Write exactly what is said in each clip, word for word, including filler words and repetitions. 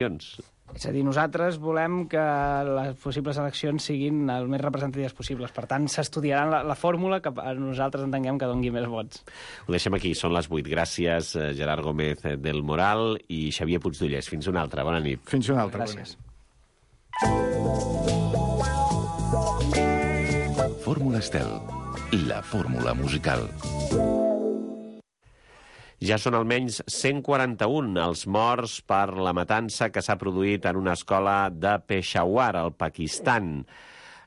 És a dir, nosaltres volem que les possibles eleccions siguin el més representatives possibles. Per tant, s'estudiarà la, la fórmula que nosaltres entenguem que doni més vots. Ho deixem aquí, són les vuit. Gràcies, Gerard Gómez del Moral i Xavier Puigdollers. Fins una altra. Bona nit. Fins una altra. Gràcies. Fórmula Estel, la fórmula musical. Ja són almenys cent quaranta-un els morts per la matança que s'ha produït en una escola de Peshawar, al Pakistan.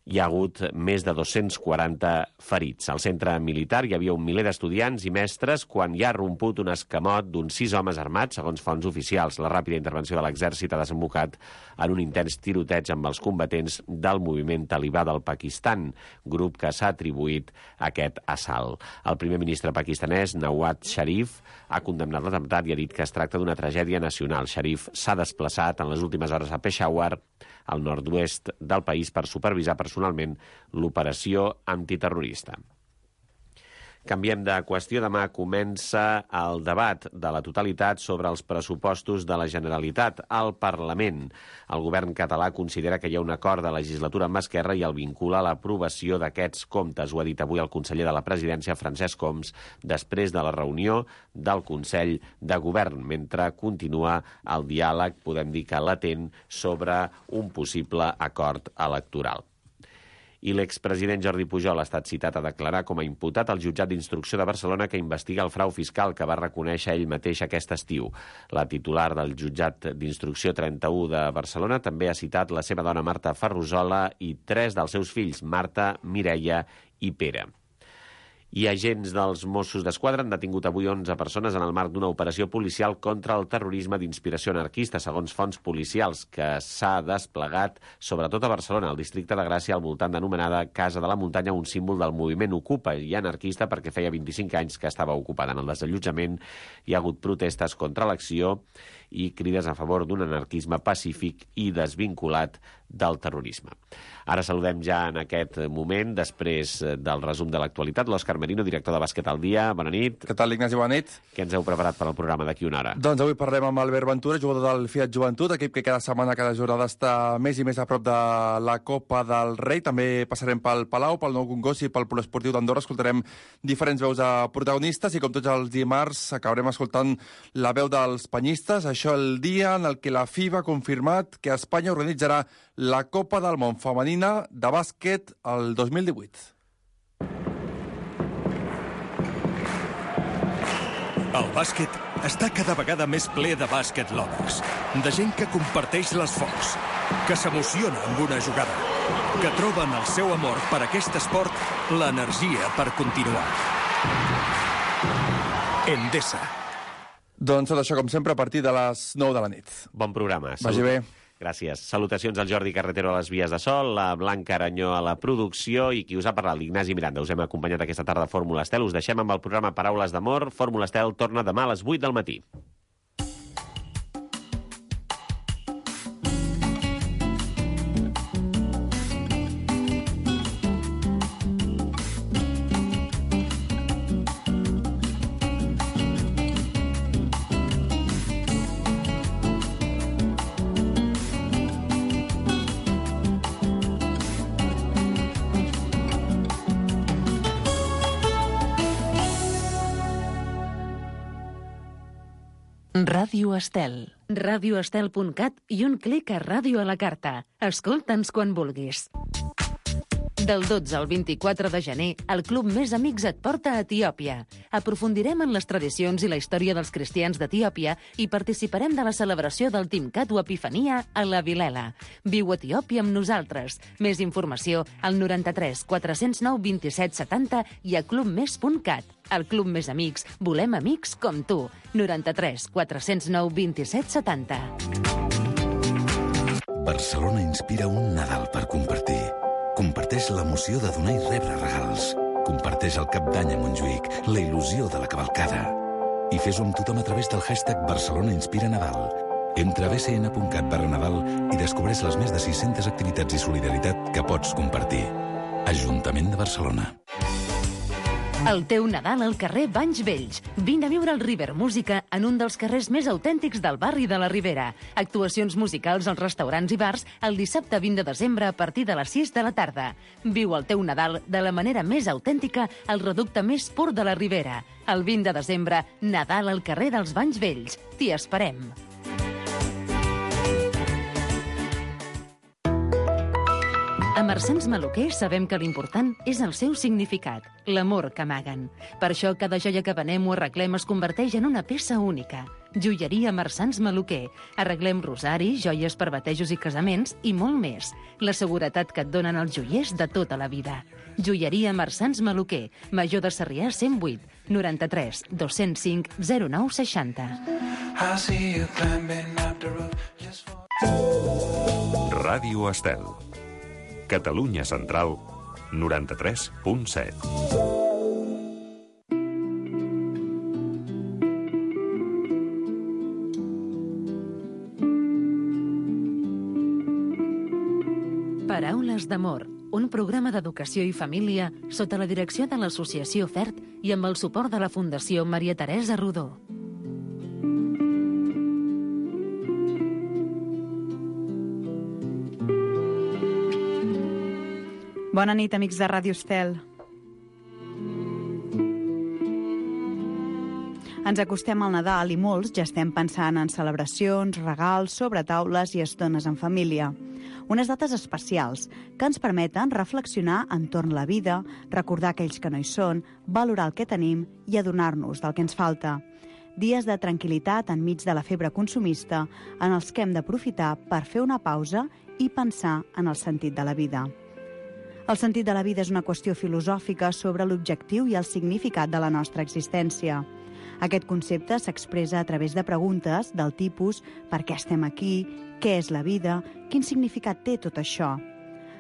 Hi ha hagut més de dos-cents quaranta ferits. Al centre militar hi havia un miler d'estudiants i mestres quan hi ha romput un escamot d'uns sis homes armats, segons fonts oficials. La ràpida intervenció de l'exèrcit ha desembocat en un intens tiroteig amb els combatents del moviment talibà del Pakistan, grup que s'ha atribuït aquest assalt. El primer ministre pakistanès, Nawaz Sharif, ha condemnat l'atemptat i ha dit que es tracta d'una tragèdia nacional. Sharif s'ha desplaçat en les últimes hores a Peshawar, al nord-oest del país, per supervisar personalment l'operació antiterrorista. Canviem de qüestió. Demà comença el debat de la totalitat sobre els pressupostos de la Generalitat al Parlament. El govern català considera que hi ha un acord de legislatura amb Esquerra i el vincula a l'aprovació d'aquests comptes. Ho ha dit avui el conseller de la Presidència, Francesc Homs, després de la reunió del Consell de Govern, mentre continua el diàleg, podem dir que latent, sobre un possible acord electoral. I l'expresident Jordi Pujol ha estat citat a declarar com a imputat al jutjat d'instrucció de Barcelona que investiga el frau fiscal que va reconèixer ell mateix aquest estiu. La titular del jutjat d'instrucció trenta-u de Barcelona també ha citat la seva dona Marta Ferrusola i tres dels seus fills, Marta, Mireia i Pere. I agents dels Mossos d'Esquadra han detingut avui onze persones en el marc d'una operació policial contra el terrorisme d'inspiració anarquista, segons fonts policials, que s'ha desplegat sobretot a Barcelona, al districte de Gràcia, al voltant d'anomenada Casa de la Muntanya, un símbol del moviment Ocupa i anarquista perquè feia vint-i-cinc anys que estava ocupada. En el desallotjament hi ha hagut protestes contra l'acció i crides a favor d'un anarquisme pacífic i desvinculat del terrorisme. Ara saludem ja en aquest moment, després del resum de l'actualitat, l'Òscar Merino, director de Bàsquet al Dia. Bona nit. Què tal, Ignasi? Bona nit. Què ens heu preparat per al programa d'aquí una hora? Doncs avui parlem amb Albert Ventura, jugador del Fiat Joventut, equip que cada setmana, cada jornada està més i més a prop de la Copa del Rei. També passarem pel Palau, pel Nou Congost i pel Poliesportiu d'Andorra. Escoltarem diferents veus de protagonistes i, com tots els dimarts, acabarem escoltant la veu dels penyistes. Això el dia en el que la F I B A ha confirmat que Espanya organitzarà la Copa del Món femenina de bàsquet el dos mil divuit. El bàsquet està cada vegada més ple de bàsquet lovers, de gent que comparteix l'esforç, que s'emociona amb una jugada, que troben el seu amor per aquest esport l'energia per continuar. Endesa. Doncs tot això, com sempre, a partir de les nou de la nit. Bon programa. Vagi bé. Gràcies. Salutacions al Jordi Carretero a les vies de sol, la Blanca Aranyó a la producció i qui us ha parlat, l'Ignasi Miranda. Us hem acompanyat aquesta tarda a Fórmula Estel. Us deixem amb el programa Paraules d'Amor. Fórmula Estel torna demà a les vuit del matí. Ràdio Estel. radioestel punt cat i un clic a Ràdio a la Carta. Escolta'ns quan vulguis. Del dotze al vint-i-quatre de gener, el Club Més Amics et porta a Etiòpia. Aprofundirem en les tradicions i la història dels cristians d'Etiòpia i participarem de la celebració del Timcat o Epifania a la Vilela. Viu a Etiòpia amb nosaltres. Més informació al noranta-tres quatre-cents nou vint-i-set setanta i a clubmés punt cat. Al Club Més Amics volem amics com tu. noranta-tres quatre-cents nou vint-i-set setanta. Barcelona inspira un Nadal per compartir. Comparteix l'emoció de donar i rebre regals. Comparteix el Cap d'Any a Montjuïc, la il·lusió de la cavalcada. I fes-ho amb tothom a través del hashtag Barcelona Inspira Nadal. Entra a b c n punt cat barra Nadal i descobreix les més de sis-centes activitats i solidaritat que pots compartir. Ajuntament de Barcelona. El teu Nadal al carrer Banys Vells. Vine a viure el River Música en un dels carrers més autèntics del barri de la Ribera. Actuacions musicals als restaurants i bars el dissabte vint de desembre a partir de les sis de la tarda. Viu el teu Nadal de la manera més autèntica al reducte més pur de la Ribera. El vint de desembre, Nadal al carrer dels Banys Vells. T'hi esperem. A Marsans Maluquer sabem que l'important és el seu significat, l'amor que amaguen. Per això cada joia que venem o arreglem es converteix en una peça única. Joieria Marsans Maluquer. Arreglem rosaris, joies per batejos i casaments i molt més. La seguretat que et donen els joiers de tota la vida. Joieria Marsans Maluquer. Major de Sarrià cent vuit, noranta-tres, dos-cents cinc, zero nou seixanta. Ràdio Estel. Catalunya Central, noranta-tres punt set. Paraules d'amor, un programa d'educació i família sota la direcció de l'Associació FERT i amb el suport de la Fundació Maria Teresa Rodó. Bona nit, amics de Ràdio Estel. Ens acostem al Nadal i molts ja estem pensant en celebracions, regals, sobretaules i estones en família. Unes dates especials que ens permeten reflexionar entorn la vida, recordar aquells que no hi són, valorar el que tenim i adonar-nos del que ens falta. Dies de tranquil·litat enmig de la febre consumista en els que hem d'aprofitar per fer una pausa i pensar en el sentit de la vida. El sentit de la vida és una qüestió filosòfica sobre l'objectiu i el significat de la nostra existència. Aquest concepte s'expressa a través de preguntes del tipus per què estem aquí, què és la vida, quin significat té tot això.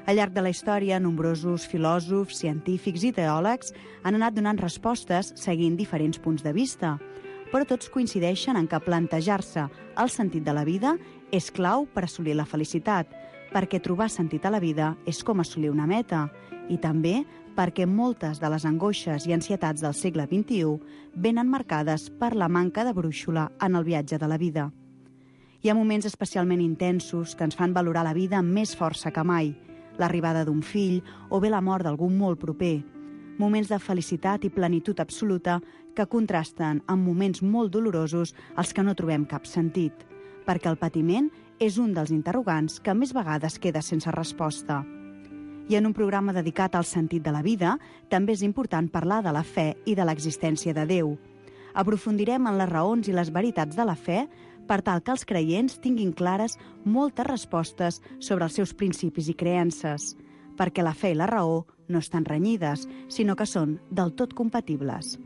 Al llarg de la història, nombrosos filòsofs, científics i teòlegs han anat donant respostes seguint diferents punts de vista, però tots coincideixen en que plantejar-se el sentit de la vida és clau per assolir la felicitat, perquè trobar sentit a la vida és com assolir una meta, i també perquè moltes de les angoixes i ansietats del segle vint-i-u venen marcades per la manca de brúixola en el viatge de la vida. Hi ha moments especialment intensos que ens fan valorar la vida amb més força que mai, l'arribada d'un fill o bé la mort d'algun molt proper, moments de felicitat i plenitud absoluta que contrasten amb moments molt dolorosos als que no trobem cap sentit, perquè el patiment és un dels interrogants que més vegades queda sense resposta. I en un programa dedicat al sentit de la vida, també és important parlar de la fe i de l'existència de Déu. Aprofundirem en les raons i les veritats de la fe per tal que els creients tinguin clares moltes respostes sobre els seus principis i creences, perquè la fe i la raó no estan renyides, sinó que són del tot compatibles.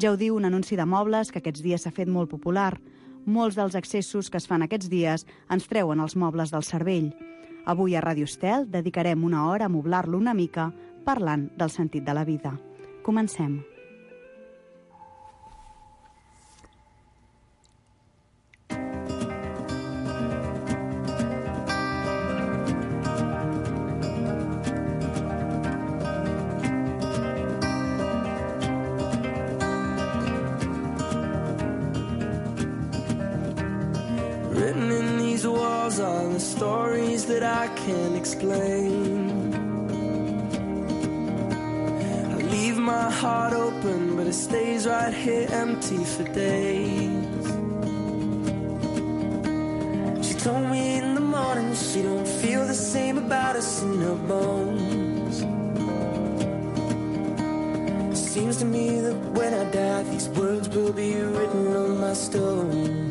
Ja ho diu un anunci de mobles que aquests dies s'ha fet molt popular. Molts dels accessos que es fan aquests dies ens treuen els mobles del cervell. Avui a Ràdio Estel dedicarem una hora a moblar-lo una mica parlant del sentit de la vida. Comencem. Written in these walls are the stories that I can't explain. I leave my heart open, but it stays right here empty for days. She told me in the morning she don't feel the same about us in her bones. Seems to me that when I die, these words will be written on my stone.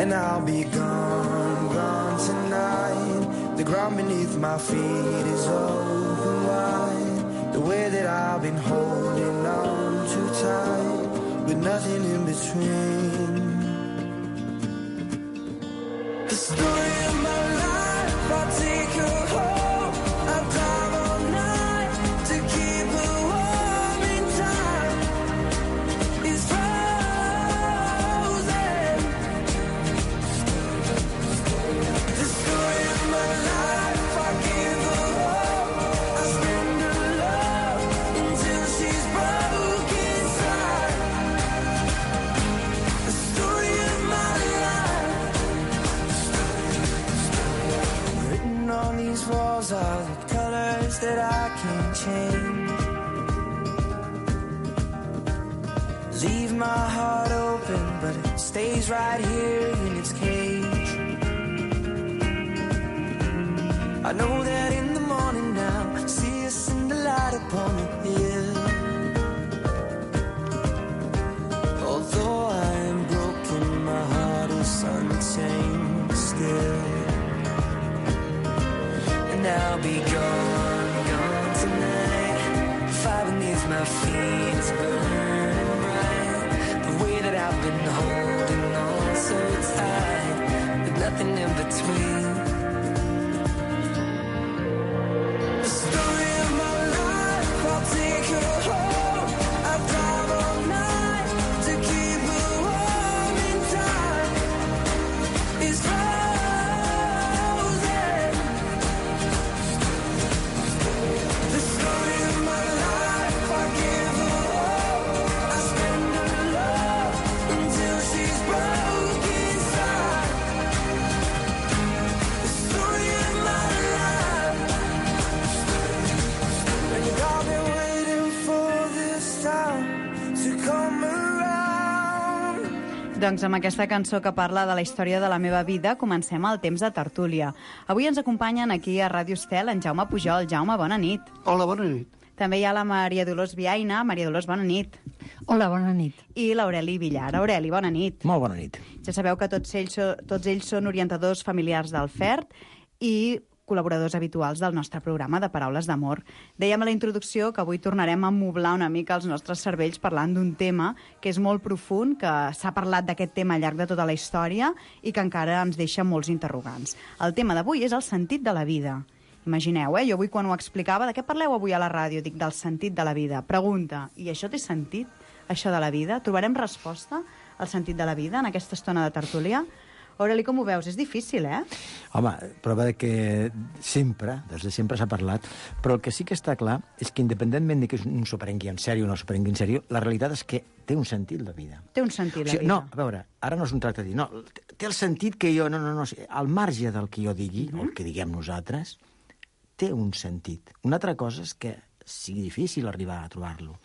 And I'll be gone, gone tonight. The ground beneath my feet is open wide. The way that I've been holding on too tight, with nothing in between. The story of my life, I'll take her home. I'll drive all night to keep her warm in time. It's frozen. The story of my life, I give her all. I spend her love can change. Leave my heart open, but it stays right here in its cage. I know that in the morning now, see us in the light upon the hill. Although I am broken, my heart is untamed still. And I'll be gone, gone tonight. Fire beneath my feet is burning bright. The way that I've been holding on so tight, with nothing in between. The story of my life, I'll take her home. I'll drive all night to keep her warm in time. It's frozen. The story of my life, I give her all. I spend her love until she's broke inside. The story of my life. And I've been waiting for this time to come around. Doncs amb aquesta cançó que parla de la història de la meva vida, comencem el temps de tertúlia. Avui ens acompanyen aquí a Ràdio Estel en Jaume Pujol. Jaume, bona nit. Hola, bona nit. També hi ha la Maria Dolors Viaina. Maria Dolors, bona nit. Hola, bona nit. I l'Aureli Villar. Aureli, bona nit. Molt bona nit. Ja sabeu que tots ells, so- tots ells són orientadors familiars del F E R T i col·laboradors habituals del nostre programa de Paraules d'Amor. Dèiem a la introducció que avui tornarem a moblar una mica els nostres cervells parlant d'un tema que és molt profund, que s'ha parlat d'aquest tema al llarg de tota la història i que encara ens deixa molts interrogants. El tema d'avui és el sentit de la vida. Imagineu, eh? Jo avui quan ho explicava, de què parleu avui a la ràdio? Dic, del sentit de la vida. Pregunta, i això té sentit, això de la vida? Trobarem resposta al sentit de la vida en aquesta estona de tertúlia? Aureli, com ho veus? És difícil, eh? Home, prova de que sempre, des de sempre s'ha parlat, però el que sí que està clar és que independentment de que un s'ho prengui en sèrio o no s'ho prengui en sèrio, la realitat és que té un sentit la vida. Té un sentit la O sigui, vida. no, a veure, ara no és un tracte de dir, no, té el sentit que jo, no, no, no, al marge del que jo digui, uh-huh. o el que diguem nosaltres, té un sentit. Una altra cosa és que sigui difícil arribar a trobar-lo.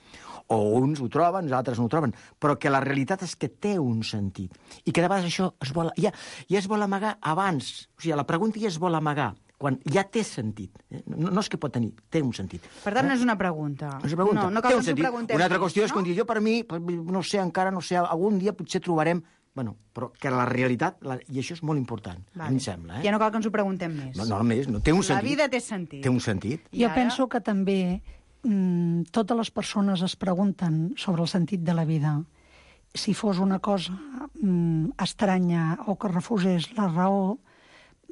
O uns ho troben, els altres no ho troben, però que la realitat és que té un sentit. I que de vegades això es vol, ja, ja es vol amagar abans. O sigui, la pregunta ja es vol amagar, quan ja té sentit. Eh? No, no és que pot tenir, té un sentit. Per tant, no és una pregunta. No és una pregunta. No, no cal té que un ens ho sentit. preguntem. Una altra qüestió és no? que jo, per mi, no sé, encara no sé, algun dia potser trobarem... Bueno, però que la realitat, la, i això és molt important, vale. A mi em sembla. Eh? Ja no cal que ens ho preguntem més. No, no, més, no, té un sentit. La vida té sentit. Té un sentit. I jo ara... penso que també mmm, totes les persones es pregunten sobre el sentit de la vida. Si fos una cosa mmm, estranya o que refusés la raó,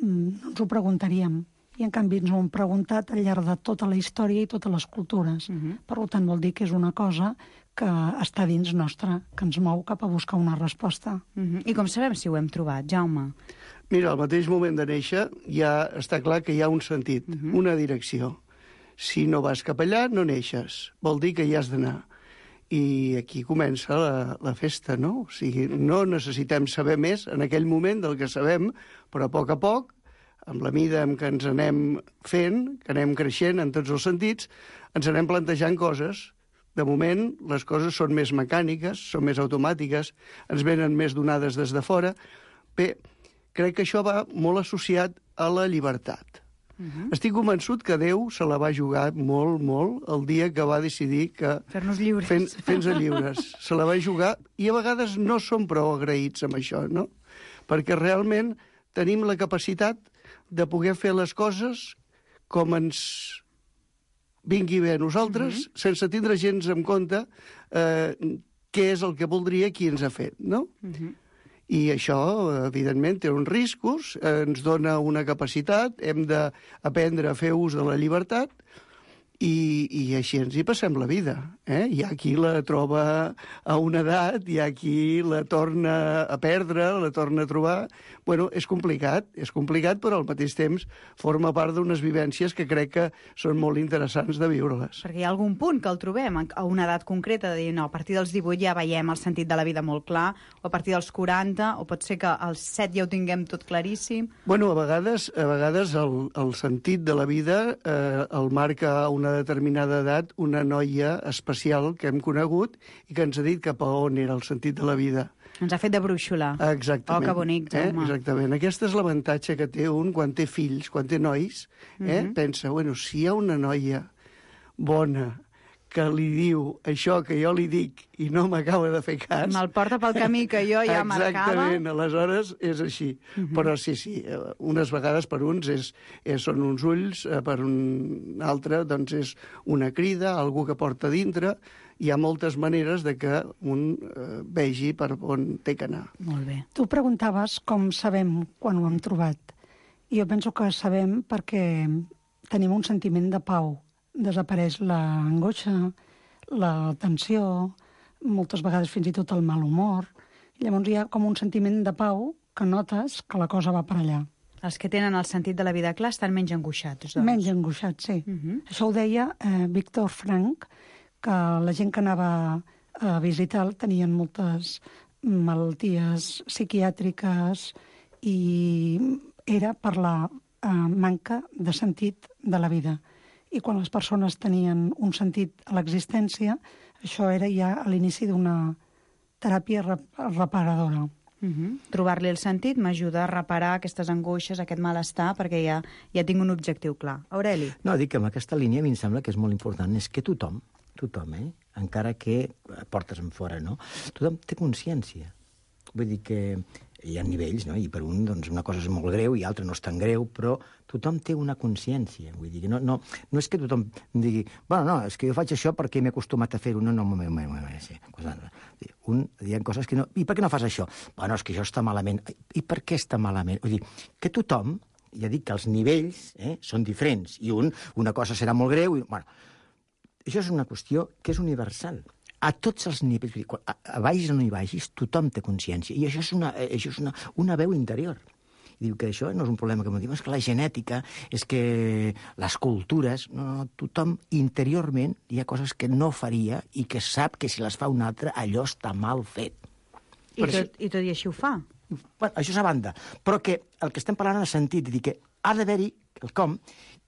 mmm, no ens ho preguntaríem. I en canvi ens ho hem preguntat al llarg de tota la història i totes les cultures. Uh-huh. Per tant, vol dir que és una cosa que està dins nostra, que ens mou cap a buscar una resposta. Uh-huh. I com sabem si ho hem trobat, Jaume? Mira, al mateix moment de néixer ja està clar que hi ha un sentit, uh-huh. una direcció. Si no vas cap allà, no neixes. Vol dir que hi has d'anar. I aquí comença la, la festa, no? O sigui, no necessitem saber més en aquell moment del que sabem, però a poc a poc, amb la mida en què ens anem fent, que anem creixent en tots els sentits, ens anem plantejant coses. De moment, les coses són més mecàniques, són més automàtiques, ens venen més donades des de fora. Bé, crec que això va molt associat a la llibertat. Uh-huh. Estic convençut que Déu se la va jugar molt, molt el dia que va decidir que... Fer-nos lliures. Fent, fent-nos lliures. Se la va jugar i a vegades no som prou agraïts amb això, no? Perquè realment tenim la capacitat de poder fer les coses com ens vingui bé a nosaltres, uh-huh. sense tindre gens en compte eh, què és el que voldria qui ens ha fet, no? Uh-huh. I això, evidentment, té uns riscos, eh, ens dona una capacitat, hem d'aprendre a fer ús de la llibertat, i, i així ens hi passem la vida. Eh? Hi ha qui la troba a una edat, hi ha qui la torna a perdre, la torna a trobar. Bueno, és complicat, és complicat, però al mateix temps forma part d'unes vivències que crec que són molt interessants de viure-les. Perquè hi ha algun punt que el trobem a una edat concreta, de dir, no, a partir dels divuit ja veiem el sentit de la vida molt clar, o a partir dels quaranta, o pot ser que als set ja ho tinguem tot claríssim. Bueno, a vegades, a vegades el, el sentit de la vida eh, el marca una una determinada edat, una noia especial que hem conegut i que ens ha dit cap a on era el sentit de la vida. Ens ha fet de brúixola. Exactament. Oh, que bonic, Jaume. Eh? Exactament. Aquest és l'avantatge que té un quan té fills, quan té nois. Eh? Mm-hmm. Pensa, bueno, si hi ha una noia bona que li diu això que jo li dic i no m'acaba de fer cas... Me'l porta pel camí que jo ja marcava. Exactament, aleshores és així. Mm-hmm. Però sí, sí, unes vegades per uns és, és, són uns ulls, per un altre doncs és una crida, algú que porta dintre. Hi ha moltes maneres de que un eh, vegi per on té que anar. Molt bé. Tu preguntaves com sabem quan ho hem trobat. I jo penso que sabem perquè tenim un sentiment de pau. Desapareix l'angoixa, la tensió, moltes vegades fins i tot el mal humor. Llavors hi ha com un sentiment de pau que notes que la cosa va per allà. Els que tenen el sentit de la vida clar estan menys angoixats, doncs. Menys angoixats, sí. Uh-huh. Això ho deia eh, Víctor Frank, que la gent que anava a visitar tenien moltes malalties psiquiàtriques i era per la eh, manca de sentit de la vida. I quan les persones tenien un sentit a l'existència, això era ja a l'inici d'una teràpia reparadora. Uh-huh. Trobar-li el sentit m'ajuda a reparar aquestes angoixes, aquest malestar, perquè ja, ja tinc un objectiu clar. Aureli? No, dic que amb aquesta línia a mi em sembla que és molt important, és que tothom, tothom, eh? Encara que portes en fora, no? Tothom té consciència. Vull dir que hi ha nivells, no? I per un, doncs, una cosa és molt greu i l'altra no és tan greu, però tothom té una consciència. Vull dir que no, no, no és que tothom digui, bueno, no, és que jo faig això perquè m'he acostumat a fer-ho. No, no, no, no, no, no, sí. Un, hi ha coses que no... I per què no fas això? Bueno, és que això està malament. I per què està malament? Vull dir, que tothom, ja dic que els nivells eh, són diferents, i un, una cosa serà molt greu, i, bueno, això és una qüestió que és universal. A tots els nivells, a, a vagis o no hi vagis, tothom té consciència. I això és una, això és una, una veu interior. I diu que això no és un problema que m'ho diu, és que la genètica, és que les cultures... No, no, tothom interiorment hi ha coses que no faria i que sap que si les fa un altre allò està mal fet. I tot, I tot i així ho fa? Bueno, això és a banda. Però que el que estem parlant en el sentit de dir que ha d'haver-hi el com,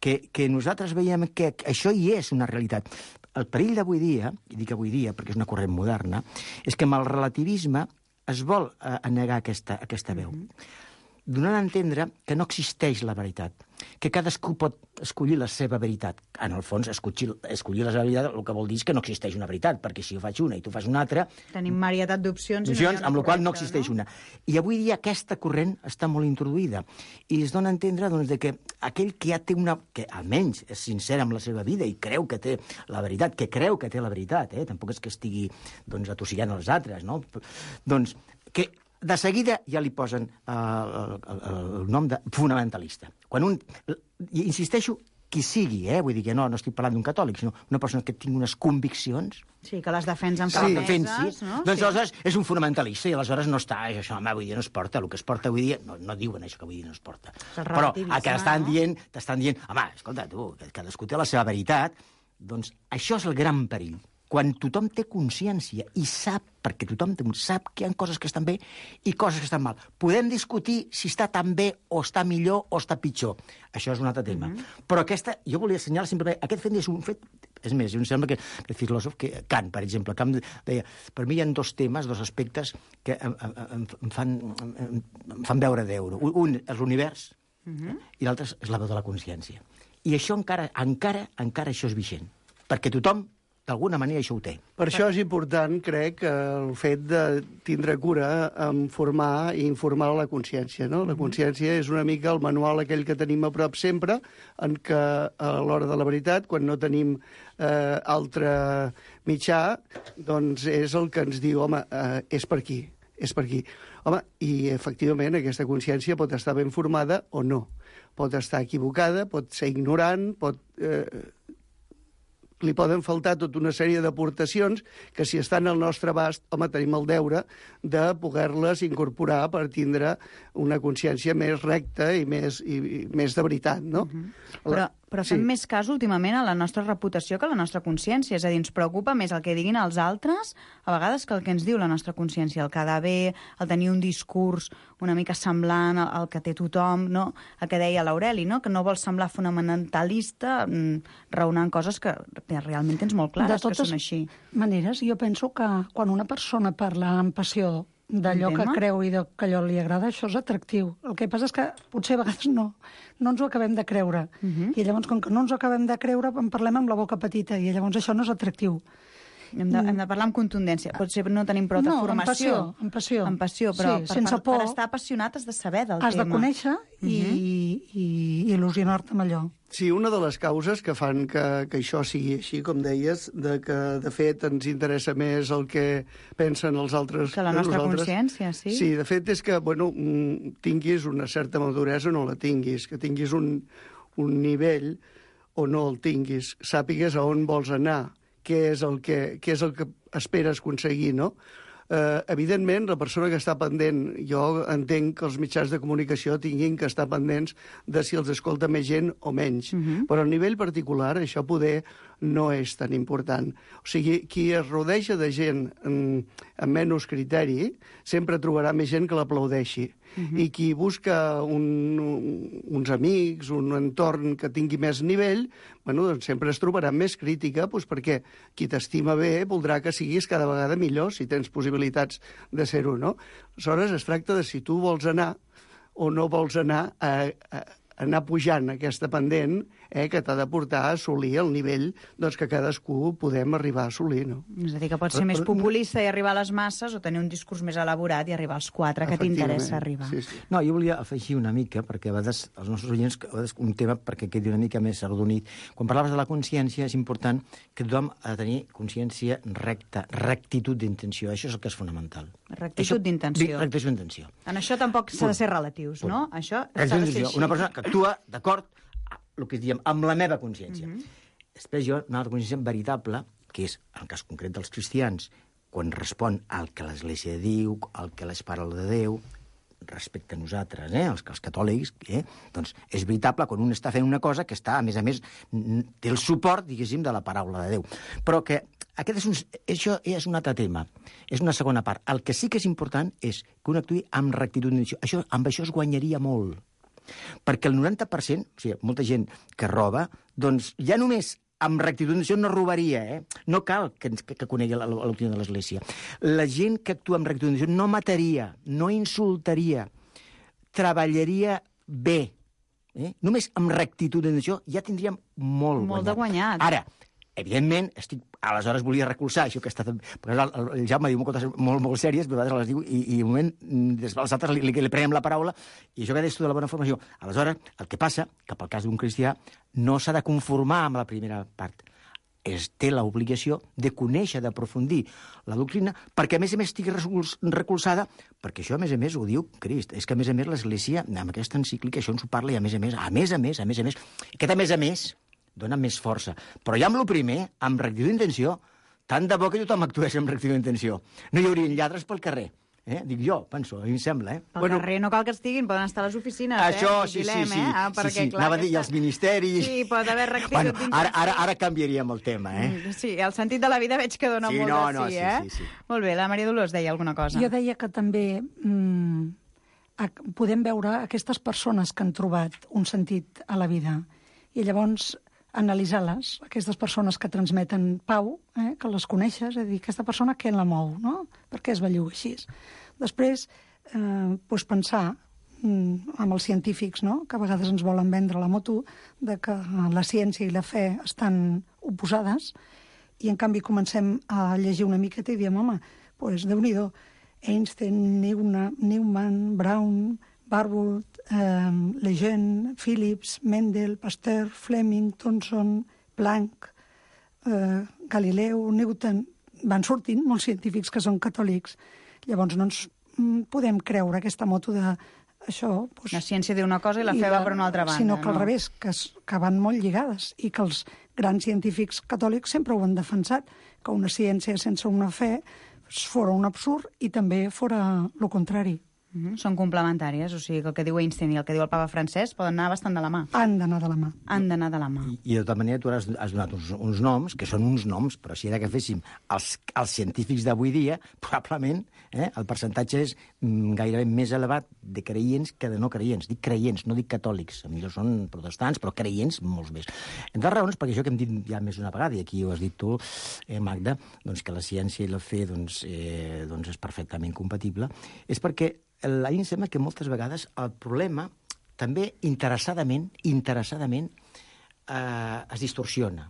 que, que nosaltres veiem que això hi és una realitat. El perill d'avui dia, i dic avui dia perquè és una corrent moderna, és que amb el relativisme es vol eh, negar aquesta, aquesta veu. Mm-hmm. Donant a entendre que no existeix la veritat, que cadascú pot escollir la seva veritat. En el fons, escollir, escollir la seva veritat el que vol dir és que no existeix una veritat, perquè si jo faig una i tu fas una altra... Tenim varietat d'opcions i no hi ha una amb la qual no correcta, existeix no? una. I avui dia aquesta corrent està molt introduïda i es dona a entendre doncs, de que aquell que ja té una... que almenys és sincer amb la seva vida i creu que té la veritat, que creu que té la veritat, eh? Tampoc és que estigui doncs, atossigant els altres, no? Doncs que de seguida ja li posen uh, el, el, el nom de fonamentalista. Quan un... I insisteixo, qui sigui, eh? Vull dir que no, no estic parlant d'un catòlic, sinó una persona que tingui unes conviccions... Sí, que les defensa amb sí, fermeses, no? Doncs sí. aleshores és un fonamentalista i aleshores no està, això, home, avui dia no es porta, el que es porta avui dia... No, no diuen això que avui dia no es porta. Però el que estan no? dient, t'estan dient, home, escolta, tu, que cadascú té la seva veritat, doncs això és el gran perill. Quan tothom té consciència i sap, perquè tothom sap que hi ha coses que estan bé i coses que estan mal. Podem discutir si està tan bé o està millor o està pitjor. Això és un altre tema. Mm-hmm. Però aquesta, jo volia assenyalar simplement, aquest fet és un fet... És més, em sembla que el filòsof, que Kant, per exemple, Kant deia, per mi hi ha dos temes, dos aspectes que em, em, em, fan, em, em fan veure d'euro. Un és l'univers mm-hmm. i l'altre és la veu de la consciència. I això encara, encara, encara això és vigent. Perquè tothom d'alguna manera això ho té. Per això és important, crec, el fet de tindre cura en formar i informar la consciència, no? La consciència és una mica el manual aquell que tenim a prop sempre, en què a l'hora de la veritat, quan no tenim eh, altre mitjà, doncs és el que ens diu, home, eh, és per aquí, és per aquí. Home, i efectivament aquesta consciència pot estar ben formada o no. Pot estar equivocada, pot ser ignorant, pot... Eh, li poden faltar tota una sèrie d'aportacions que si estan al nostre abast, home, tenim el deure de poder-les incorporar per tindre una consciència més recta i més, i, i més de veritat, no? Uh-huh. Però Però fem sí. més cas últimament a la nostra reputació que a la nostra consciència. És a dir, ens preocupa més el que diguin els altres a vegades que el que ens diu la nostra consciència. El quedar bé, el tenir un discurs una mica semblant al que té tothom, no? El que deia l'Aureli, no? Que no vols semblar fonamentalista raonant coses que, que realment tens molt clares que són així. De totes maneres, jo penso que quan una persona parla amb passió d'allò que creu i que allò li agrada, això és atractiu. El que passa és que potser a vegades no, no ens ho acabem de creure. Uh -huh. I llavors, com que no ens ho acabem de creure, en parlem amb la boca petita, i llavors això no és atractiu. Hem de, hem de parlar amb contundència. Potser no tenim prou de no, formació. amb passió. Amb passió, però sí, per, sense per, por, per estar apassionat has de saber del has tema. Has de conèixer i, uh -huh. i, i il·lusionar-te amb allò. Sí, una de les causes que fan que, que això sigui així, com deies, de que, de fet, ens interessa més el que pensen els altres que la nostra consciència, sí. Sí, de fet, és que, bueno, tinguis una certa maduresa o no la tinguis, que tinguis un, un nivell o no el tinguis, sàpigues a on vols anar, què és el que, què és el que esperes aconseguir, no? Eh, evidentment, la persona que està pendent, jo entenc que els mitjans de comunicació tinguin que estar pendents de si els escolta més gent o menys. Uh -huh. Però a nivell particular això poder no és tan important. O sigui, qui es rodeja de gent amb, amb menys criteri sempre trobarà més gent que l'aplaudeixi. Uh -huh. I qui busca un, un, uns amics, un entorn que tingui més nivell, bueno, doncs sempre es trobarà més crítica, doncs perquè qui t'estima bé voldrà que siguis cada vegada millor, si tens possibilitats de ser-ho, no? Aleshores, es tracta de si tu vols anar o no vols anar a, a anar pujant aquesta pendent eh, que t'ha de portar a assolir el nivell doncs, que cadascú podem arribar a assolir. No? És a dir, que pot ser més populista i arribar a les masses o tenir un discurs més elaborat i arribar als quatre que t'interessa arribar. Sí, sí. No, jo volia afegir una mica, perquè a vegades els nostres oients, a vegades un tema perquè quedi una mica més arrodonit. Quan parlaves de la consciència, és important que tothom ha de tenir consciència recta, rectitud d'intenció. Això és el que és fonamental. Rectitud d'intenció. Rectitud d'intenció. En això tampoc s'ha de ser relatius, Punt. no? Això s'ha de ser així. Una persona que actua d'acord el que diem, amb la meva consciència. Mm -hmm. Després jo, una altra consciència veritable, que és, en el cas concret dels cristians, quan respon al que l'Església diu, al que les parla de Déu, respecte a nosaltres, eh, els, els catòlics, eh, doncs és veritable quan un està fent una cosa que està, a més a més, té el suport, diguéssim, de la paraula de Déu. Però que aquest és un, això és un altre tema, és una segona part. El que sí que és important és que un actuï amb rectitud d'intenció. Això, amb això es guanyaria molt. Perquè el noranta per cent, o sigui, molta gent que roba, doncs ja només amb rectitud d'intenció no robaria, eh? No cal que, que, que conegui l'opinió de l'Església. La gent que actua amb rectitud d'intenció no mataria, no insultaria, treballaria bé. Eh? Només amb rectitud d'intenció ja tindríem molt, molt guanyat. de guanyat. Ara, evidentment, estic, aleshores volia recolzar això que està... Perquè el, el Jaume diu coses molt, molt sèries, però a vegades les diu, i, i un moment, des dels altres li, li, li prenem la paraula, i això que deies tu de la bona formació. Aleshores, el que passa, que pel cas d'un cristià, no s'ha de conformar amb la primera part. Es té l'obligació de conèixer, d'aprofundir la doctrina, perquè a més a més estigui recolzada, perquè això a més a més ho diu Crist, és que a més a més l'Església, amb aquesta encíclica, això ens ho parla, i a més a més, a més a més, a més a més, aquest a més a més, dona més força. Però ja amb el primer, amb rectitud d'intenció, tant de bo que tothom actués amb rectitud d'intenció. No hi haurien lladres pel carrer. Eh? Dic jo, penso, a mi em sembla. Eh? Pel bueno, carrer no cal que estiguin, poden estar a les oficines. Això, eh? sí, Vigilem, sí, sí. Eh? Ah, perquè, sí, sí. clar, Anava a dir, i aquesta... els ministeris... Sí, pot haver rectitud bueno, d'intenció. ara, ara, ara canviaríem el tema, eh? Sí, el sentit de la vida veig que dona sí, molt no, de no, sí, sí, eh? Sí, sí. Molt bé, la Maria Dolors deia alguna cosa. Jo deia que també mmm, podem veure aquestes persones que han trobat un sentit a la vida i llavors analitzar-les, aquestes persones que transmeten pau, eh, que les coneixes, és a dir, aquesta persona què la mou, no? Per què es belluga així? Després, eh, doncs pensar mm, amb els científics, no? Que a vegades ens volen vendre la moto, de que la ciència i la fe estan oposades, i en canvi comencem a llegir una miqueta i diem, home, doncs Déu-n'hi-do, Einstein, Newman, Brown, Barbour, eh, Lejeune, Phillips, Mendel, Pasteur, Fleming, Thomson, Planck, eh, Galileu, Newton... Van sortint molts científics que són catòlics. Llavors no ens podem creure aquesta moto de això... Doncs, la ciència diu una cosa i la fe va per una altra banda. Sinó que no? al revés, que, es, que van molt lligades i que els grans científics catòlics sempre ho han defensat, que una ciència sense una fe fora un absurd i també fora el contrari. Mm-hmm. Són complementàries, o sigui que el que diu Einstein i el que diu el papa Francesc poden anar bastant de la mà. Han d'anar de la mà. Han d'anar de la mà. I, i de tota manera tu has, has donat uns, uns noms, que són uns noms, però si era que féssim els, els científics d'avui dia, probablement eh, el percentatge és mm, gairebé més elevat de creients que de no creients. Dic creients, no dic catòlics. A millor són protestants, però creients molts més. Entre raons, perquè això que hem dit ja més d'una vegada, i aquí ho has dit tu, eh, Magda, doncs que la ciència i la fe doncs, eh, doncs és perfectament compatible, és perquè a mi em sembla que moltes vegades el problema també interessadament, interessadament eh, es distorsiona.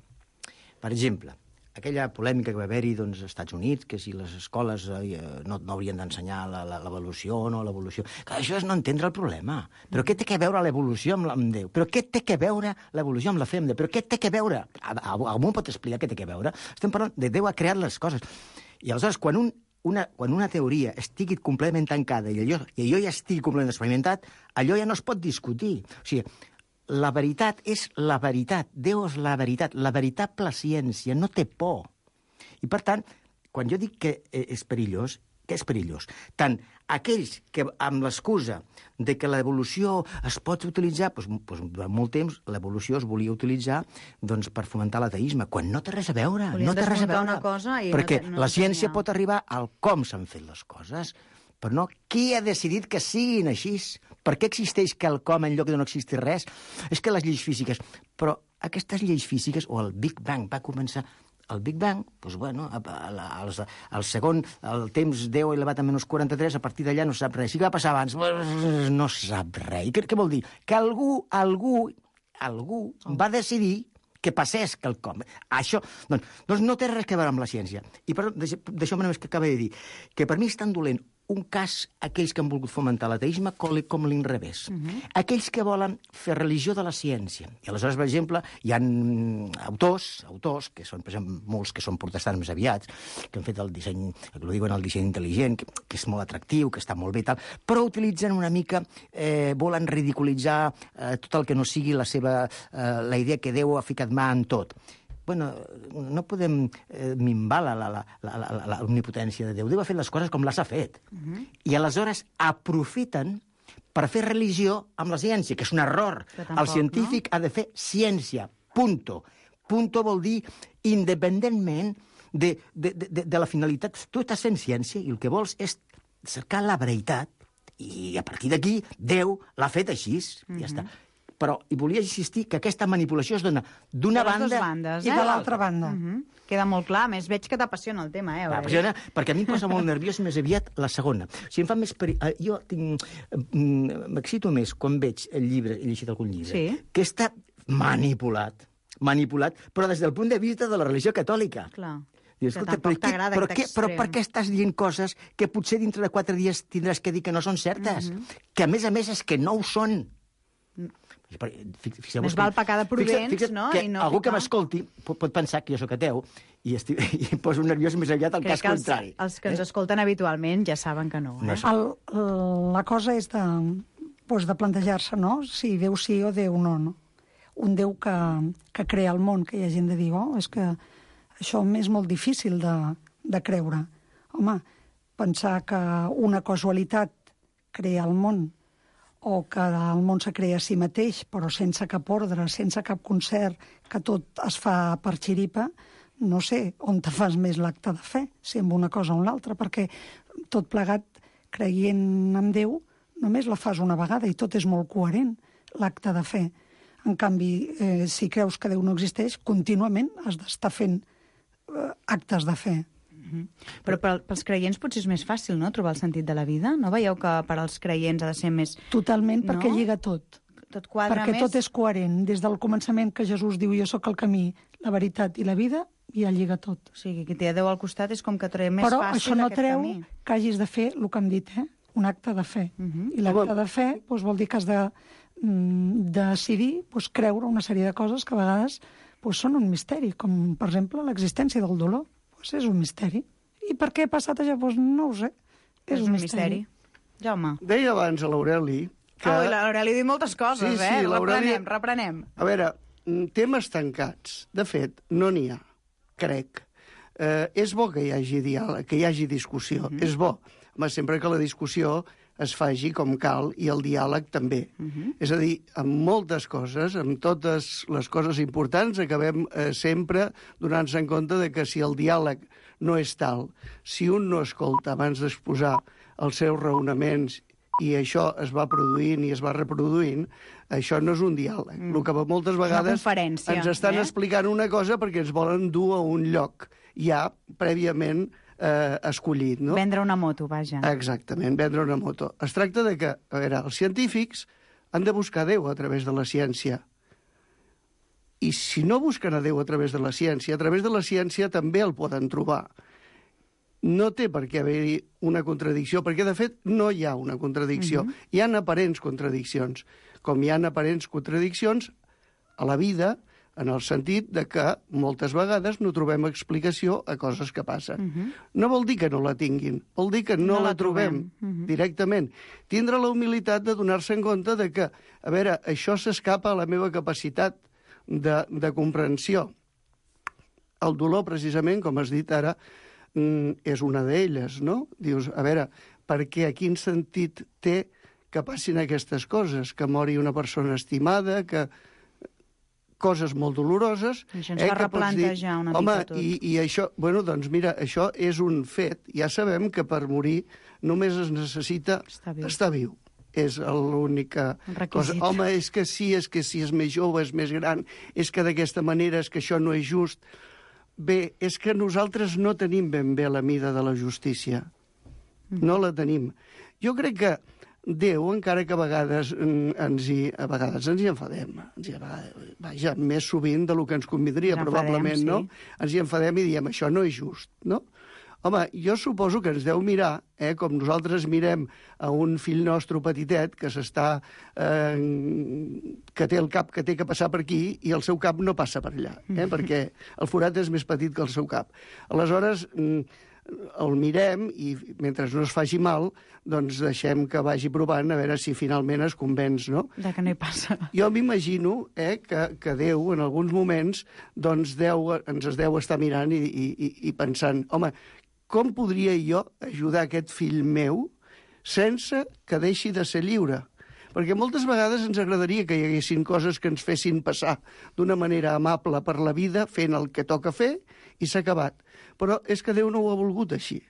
Per exemple, aquella polèmica que va haver-hi doncs, als Estats Units, que si les escoles eh, no, no haurien d'ensenyar l'evolució o no l'evolució. Això és no entendre el problema. Però què té que veure l'evolució amb, amb Déu? Però què té que veure l'evolució amb la fe amb Déu? Però què té que veure? Algú pot explicar què té que veure? Estem parlant de Déu ha creat les coses. I aleshores, quan un Una, quan una teoria estigui completament tancada i allò, i allò ja estigui completament experimentat, allò ja no es pot discutir. O sigui, la veritat és la veritat. Déu és la veritat. La veritable ciència no té por. I, per tant, quan jo dic que és perillós, què és perillós? Tant aquells que, amb l'excusa de que l'evolució es pot utilitzar, doncs, doncs, durant molt temps l'evolució es volia utilitzar doncs, per fomentar l'ateisme, quan no té res a veure. Volien no té res a veure. Una cosa i perquè no, no la ciència tenia... pot arribar al com s'han fet les coses, però no qui ha decidit que siguin així. Per què existeix quelcom en lloc de no existir res? És que les lleis físiques... Però aquestes lleis físiques, o el Big Bang va començar... El Big Bang, doncs, bueno, el, el segon, el temps deu elevat a menys quaranta-tres, a partir d'allà no sap res. Si va passar abans, no sap res. Què, què vol dir? Que algú, algú, algú va decidir que passés quelcom. Això doncs, doncs no té res a veure amb la ciència. I per, deixeu-me només que acaba de dir que per mi és tan dolent un cas aquells que han volgut fomentar l'ateisme com l'inrevés. Uh-huh. Aquells que volen fer religió de la ciència. I aleshores, per exemple, hi ha autors, autors que són, per exemple, molts que són protestants més aviats, que han fet el disseny, que ho diuen el disseny intel·ligent, que, que és molt atractiu, que està molt bé i tal, però utilitzen una mica, eh, volen ridiculitzar eh, tot el que no sigui la seva, eh, la idea que Déu ha ficat mà en tot. Bueno, no podem eh, minvar la, la, la, la, la, la omnipotència de Déu. Déu ha fet les coses com les ha fet. Uh-huh. I aleshores aprofiten per fer religió amb la ciència, que és un error. Tampoc, el científic no? Ha de fer ciència, punto. Punto vol dir independentment de, de, de, de la finalitat. Tu estàs fent ciència i el que vols és cercar la veritat i a partir d'aquí Déu l'ha fet així. Uh-huh. Ja està. Però hi volia insistir que aquesta manipulació es dona d'una banda bandes, i eh? de l'altra banda. Uh-huh. Queda molt clar. A més, veig que t'apassiona el tema, eh? M'apassiona, perquè a mi em posa molt nerviós més aviat la segona. Si em fa més peri... Jo tinc... m'excito més quan veig el llibre, he llegit algun llibre, sí? Que està manipulat, manipulat, però des del punt de vista de la religió catòlica. Clar. Dius, escolta, però, què, però, què, però per què estàs dient coses que potser dintre de quatre dies tindràs que dir que no són certes? Uh-huh. Que, a més a més, és que no ho són. Més val pecar de prudents, fixa, no? Que I no algú ficar... que m'escolti pot, pot pensar que jo sóc ateu i, estic, i poso nerviós més aviat al Crec cas que els, contrari. Els que ens eh? escolten habitualment ja saben que no. Eh? El, la cosa és de, doncs de plantejar-se, no?, si Déu sí o Déu no, no? Un Déu que, que crea el món, que hi ha gent de dir, oh, és que això m'és molt difícil de, de creure. Home, pensar que una casualitat crea el món o que el món se crea a si mateix, però sense cap ordre, sense cap concert, que tot es fa per xiripa, no sé on te fas més l'acte de fe, si amb una cosa o una altra, perquè tot plegat, creient en Déu, només la fas una vegada i tot és molt coherent, l'acte de fe. En canvi, eh, si creus que Déu no existeix, contínuament has d'estar fent eh, actes de fe. Uh-huh. Però pels creients potser és més fàcil, no?, trobar el sentit de la vida. No veieu que per als creients ha de ser més... Totalment, no? perquè lliga tot. Tot quadra perquè més... tot és coherent. Des del començament que Jesús diu jo sóc el camí, la veritat i la vida, ja lliga tot. O sigui, que té Déu al costat és com que treu més Però fàcil això no aquest treu camí. que hagis de fer el que hem dit, eh? Un acte de fe. Uh-huh. I l'acte de fe doncs, vol dir que has de mm, decidir doncs, creure una sèrie de coses que a vegades doncs, són un misteri, com per exemple l'existència del dolor. Doncs és un misteri. I per què ha passat això? Doncs no ho sé. És, és un, un misteri. misteri. Jaume. Deia abans a l'Aureli que... Oh, l'Aureli diu moltes coses, sí, sí, eh? Reprenem, reprenem. A veure, temes tancats. De fet, no n'hi ha, crec. Eh, és bo que hi hagi diàleg, que hi hagi discussió. Mm-hmm. És bo. Home, sempre que la discussió es faci com cal i el diàleg també. Uh-huh. És a dir, amb moltes coses, amb totes les coses importants, acabem eh, sempre donant-se en compte de que si el diàleg no és tal, si un no escolta abans d'exposar els seus raonaments i això es va produint i es va reproduint, això no és un diàleg. Mm. El que moltes vegades ens estan eh? explicant una cosa perquè ens volen dur a un lloc ja prèviament eh, escollit. No? Vendre una moto, vaja. Exactament, vendre una moto. Es tracta de que, a veure, els científics han de buscar Déu a través de la ciència. I si no busquen a Déu a través de la ciència, a través de la ciència també el poden trobar. No té per què haver-hi una contradicció, perquè, de fet, no hi ha una contradicció. Uh-huh. Hi ha aparents contradiccions, com hi ha aparents contradiccions a la vida, en el sentit de que moltes vegades no trobem explicació a coses que passen. Uh-huh. No vol dir que no la tinguin, vol dir que no, no la, la trobem, trobem uh-huh. directament. Tindre la humilitat de donar-se en compte de que, a veure, això s'escapa a la meva capacitat de, de comprensió. El dolor, precisament, com has dit ara, és una d'elles, no? Dius, a veure, per què, quin sentit té que passin aquestes coses? Que mori una persona estimada, que... coses molt doloroses... Això ens eh, fa replantejar una mica home, tot. I, I això, bueno, doncs mira, això és un fet. Ja sabem que per morir només es necessita estar viu. Estar viu. És l'única cosa. Home, és que sí, és que si és més jove, és més gran, és que d'aquesta manera, és que això no és just... Bé, és que nosaltres no tenim ben bé la mida de la justícia. No la tenim. Jo crec que Déu, encara que a vegades ens hi, a vegades ens hi enfadem, ens hi, vaja, més sovint del que ens convindria, probablement, sí. No? Ens hi enfadem i diem, això no és just, no? Home, jo suposo que ens deu mirar, eh, com nosaltres mirem a un fill nostre petitet que s'està... Eh, que té el cap que té que passar per aquí i el seu cap no passa per allà, eh, perquè el forat és més petit que el seu cap. Aleshores, el mirem i mentre no es faci mal, doncs deixem que vagi provant a veure si finalment es convenç, no? De que no hi passa. Jo m'imagino eh, que, que Déu, en alguns moments, doncs deu, ens es deu estar mirant i, i, i pensant, home, com podria jo ajudar aquest fill meu sense que deixi de ser lliure? Perquè moltes vegades ens agradaria que hi haguessin coses que ens fessin passar d'una manera amable per la vida, fent el que toca fer, i s'ha acabat. Però és que Déu no ho ha volgut així.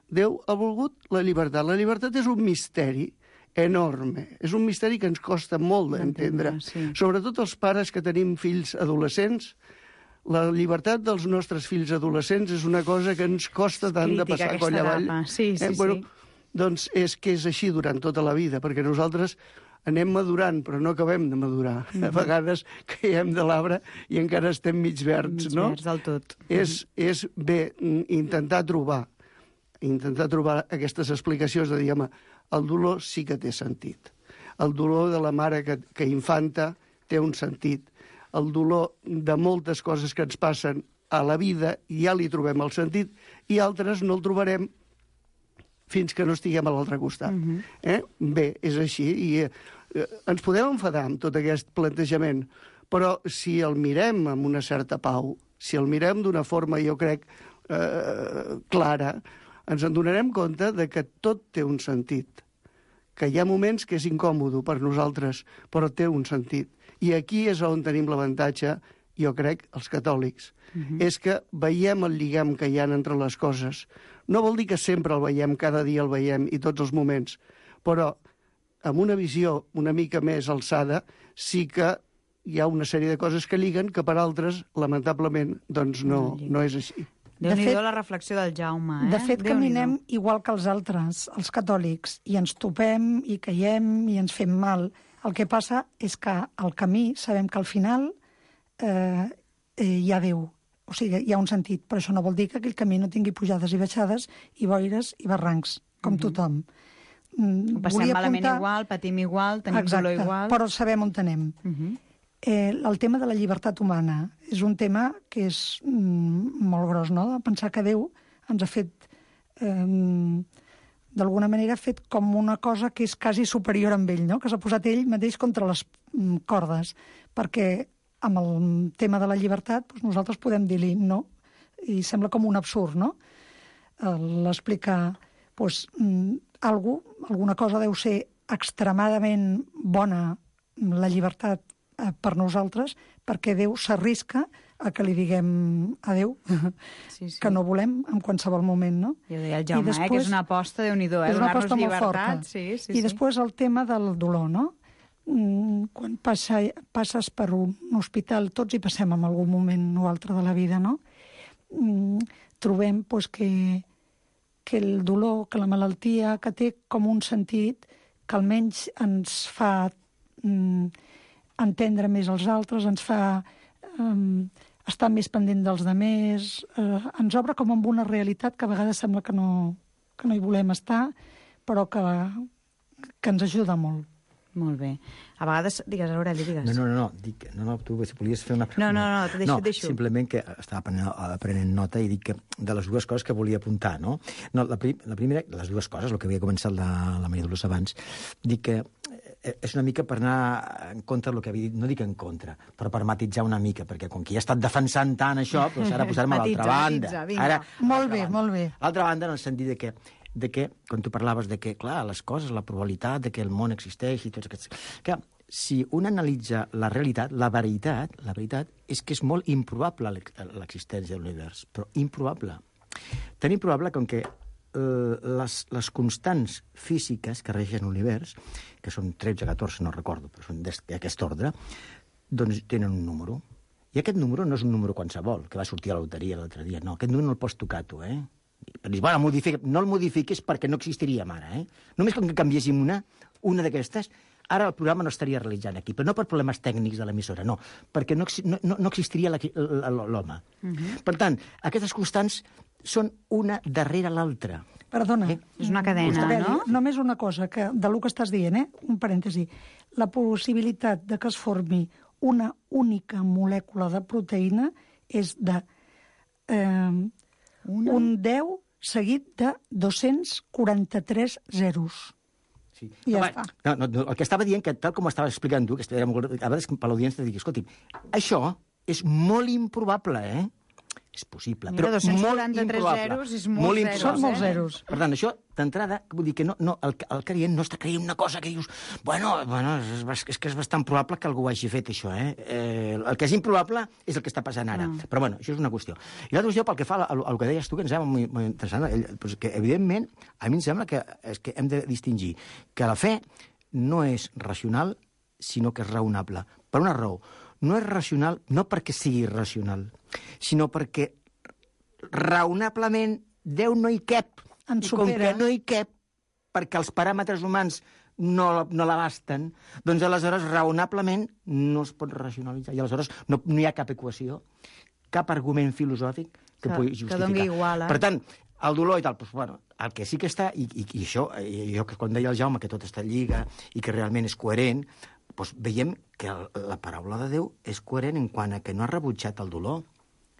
Déu ha volgut la llibertat. La llibertat és un misteri enorme. És un misteri que ens costa molt d'entendre. Sí. Sobretot els pares que tenim fills adolescents, la llibertat dels nostres fills adolescents és una cosa que ens costa tant Crítica, de passar coll avall. Sí, sí, eh? Bueno, sí. Doncs és que és així durant tota la vida, perquè nosaltres anem madurant, però no acabem de madurar. Mm-hmm. A vegades caiem de l'arbre i encara estem mig verds, mig no? Mig verds del tot. És, és bé intentar trobar, intentar trobar aquestes explicacions de dir, home, el dolor sí que té sentit. El dolor de la mare que, que infanta té un sentit. El dolor de moltes coses que ens passen a la vida ja li trobem el sentit i altres no el trobarem fins que no estiguem a l'altre costat. Uh-huh. eh? Bé, és així. I eh, ens podem enfadar amb tot aquest plantejament, però si el mirem amb una certa pau, si el mirem d'una forma, jo crec, eh, clara, ens en donarem compte de que tot té un sentit, que hi ha moments que és incòmodo per nosaltres, però té un sentit. I aquí és on tenim l'avantatge, jo crec, els catòlics. Uh-huh. És que veiem el lligam que hi ha entre les coses. No vol dir que sempre el veiem, cada dia el veiem i tots els moments, però amb una visió una mica més alçada sí que hi ha una sèrie de coses que lliguen que per altres, lamentablement, doncs no, no és així. Déu-n'hi-do la reflexió del Jaume, eh? De fet, caminem igual que els altres, els catòlics, i ens topem, i caiem, i ens fem mal. El que passa és que al camí sabem que al final eh, eh, hi ha Déu. O sigui, hi ha un sentit, però això no vol dir que aquell camí no tingui pujades i baixades, i boires i barrancs, com uh-huh. tothom. Mm, Ho passem malament apuntar... igual, patim igual, tenim Exacte, dolor igual... però sabem on anem. Uh-huh. eh, el tema de la llibertat humana és un tema que és mm, molt gros, no?, de pensar que Déu ens ha fet... Eh, d'alguna manera ha fet com una cosa que és quasi superior amb ell, no?, que s'ha posat ell mateix contra les mm, cordes, perquè amb el tema de la llibertat doncs nosaltres podem dir-li no, i sembla com un absurd, no?, l'explicar doncs, algú, alguna cosa deu ser extremadament bona, la llibertat eh, per nosaltres, perquè Déu s'arrisca a que li diguem adéu, sí, sí. que no volem en qualsevol moment, no? Ja deia el Jaume, després, eh, que és una aposta, Déu-n'hi-do, eh? És una Donar-nos aposta molt llibertat. forta. Sí, sí, I sí. després el tema del dolor, no? Mm, quan passa, passes per un hospital, tots hi passem en algun moment o altre de la vida, no? Mm, trobem pues, que, que el dolor, que la malaltia, que té com un sentit que almenys ens fa mm, entendre més els altres, ens fa um, estar més pendent dels demés, eh, ens obre com amb una realitat que a vegades sembla que no, que no hi volem estar, però que, que ens ajuda molt. Molt bé. A vegades, digues, Aureli, digues. No, no, no, no, dic, no, no, tu volies fer una... No, no, no, te deixo, no, deixo. simplement que estava prenent, prenent nota i dic que de les dues coses que volia apuntar, no? No, la, prim, la primera, les dues coses, el que havia començat la, la Maria Dolors abans, dic que és una mica per anar en contra del que havia dit, no dic en contra, però per matitzar una mica, perquè com que ja he estat defensant tant això, doncs ara posar-me a l'altra banda. Matitza, ara, molt bé, banda. molt bé. L'altra banda, en el sentit de que de que, quan tu parlaves de que, clar, les coses, la probabilitat de que el món existeix i tots aquests... Que, si un analitza la realitat, la veritat, la veritat és que és molt improbable l'existència de l'univers, però improbable. Tan improbable com que eh, les, les constants físiques que regeixen l'univers, que són tretze, catorze, no recordo, però són d'aquest ordre, doncs tenen un número. I aquest número no és un número qualsevol, que va sortir a la loteria l'altre dia, no, aquest número no el pots tocar tu, eh? Dius, bueno, modifica... no el modifiquis perquè no existiríem ara, eh? Només com que canviéssim una, una d'aquestes, ara el programa no estaria realitzant aquí, però no per problemes tècnics de l'emissora, no, perquè no, no, no existiria l'home. Uh-huh. Per tant, aquestes constants són una darrere l'altra. Perdona. Eh? És una cadena, no? Només una cosa, que de lo que estàs dient, eh? Un parèntesi. La possibilitat de que es formi una única molècula de proteïna és de... Eh, Una? Un deu seguit de dos-cents quaranta-tres zeros. Sí. I ja no, està. No, no, no, el que estava dient, que tal com estava explicant tu, que era molt, a vegades per l'audiència te dic, escolti, això és molt improbable, eh? És possible, Mira, però molt improbable. Zeros és molt, molt zeros, Són molts eh? zeros. Per tant, això, d'entrada, vull dir que no, no, el, el creient no està creient una cosa que dius, bueno, bueno és, és que és bastant probable que algú ho hagi fet, això, eh? eh el que és improbable és el que està passant ara. Ah. Però, bueno, això és una qüestió. I l'altra qüestió, pel que fa al, al que deies tu, que em sembla molt, molt interessant, pues que, evidentment, a mi em sembla que, és que hem de distingir que la fe no és racional, sinó que és raonable. Per una raó. No és racional, no perquè sigui irracional, sinó perquè raonablement Déu no hi cap. En I com supera. que no hi cap, perquè els paràmetres humans no, no l'abasten, doncs aleshores raonablement no es pot racionalitzar. I aleshores no, no hi ha cap equació, cap argument filosòfic que, que pugui justificar. Que doni igual, eh? Per tant, el dolor i tal, doncs, bueno, el que sí que està, i, i, i això, i jo que quan deia el Jaume que tot està en lliga i que realment és coherent, doncs veiem que la paraula de Déu és coherent en quant a que no ha rebutjat el dolor,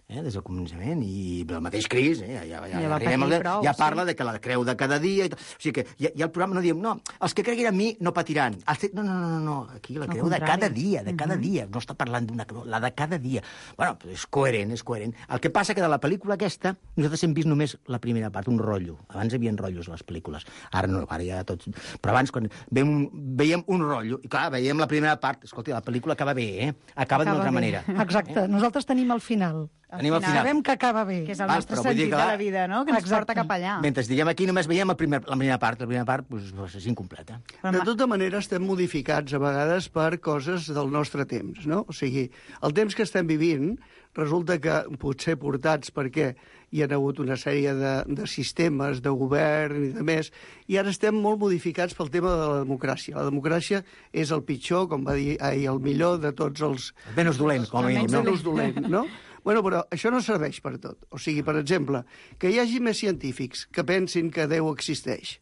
eh, des del començament, i el mateix Crist, eh, ja, ja, ja, ja, ja, prou, ja parla sí. de que la creu de cada dia, i o sigui que ja, ja el programa no diem, no, els que creguin en mi no patiran. No, no, no, no, aquí la creu de cada dia, de cada uh -huh. dia, no està parlant d'una creu, la de cada dia. Bueno, és coherent, és coherent. El que passa que de la pel·lícula aquesta, nosaltres hem vist només la primera part, un rotllo. Abans hi havia rotllos a les pel·lícules, ara no, ara ja tots... Però abans, quan veiem, veiem un rotllo, i clar, veiem la primera part, escolta, la pel·lícula acaba bé, eh? Acaba, acaba d'una altra bé. manera. Exacte, eh? Nosaltres tenim el final. Tenim al final. Sabem que acaba bé. Que és el nostre sentit de la vida, no? Que ens Exacte. porta cap allà. Mentre diguem aquí només veiem el primer, la primera part. La primera part pues, pues, és incompleta. De tota manera, estem modificats a vegades per coses del nostre temps, no? O sigui, el temps que estem vivint resulta que potser portats perquè hi ha hagut una sèrie de, de sistemes, de govern i de més, i ara estem molt modificats pel tema de la democràcia. La democràcia és el pitjor, com va dir ahir, el millor de tots els... El menys dolent, com a mínim. El menys dolent, no? Bueno, però això no serveix per tot. O sigui, per exemple, que hi hagi més científics que pensin que Déu existeix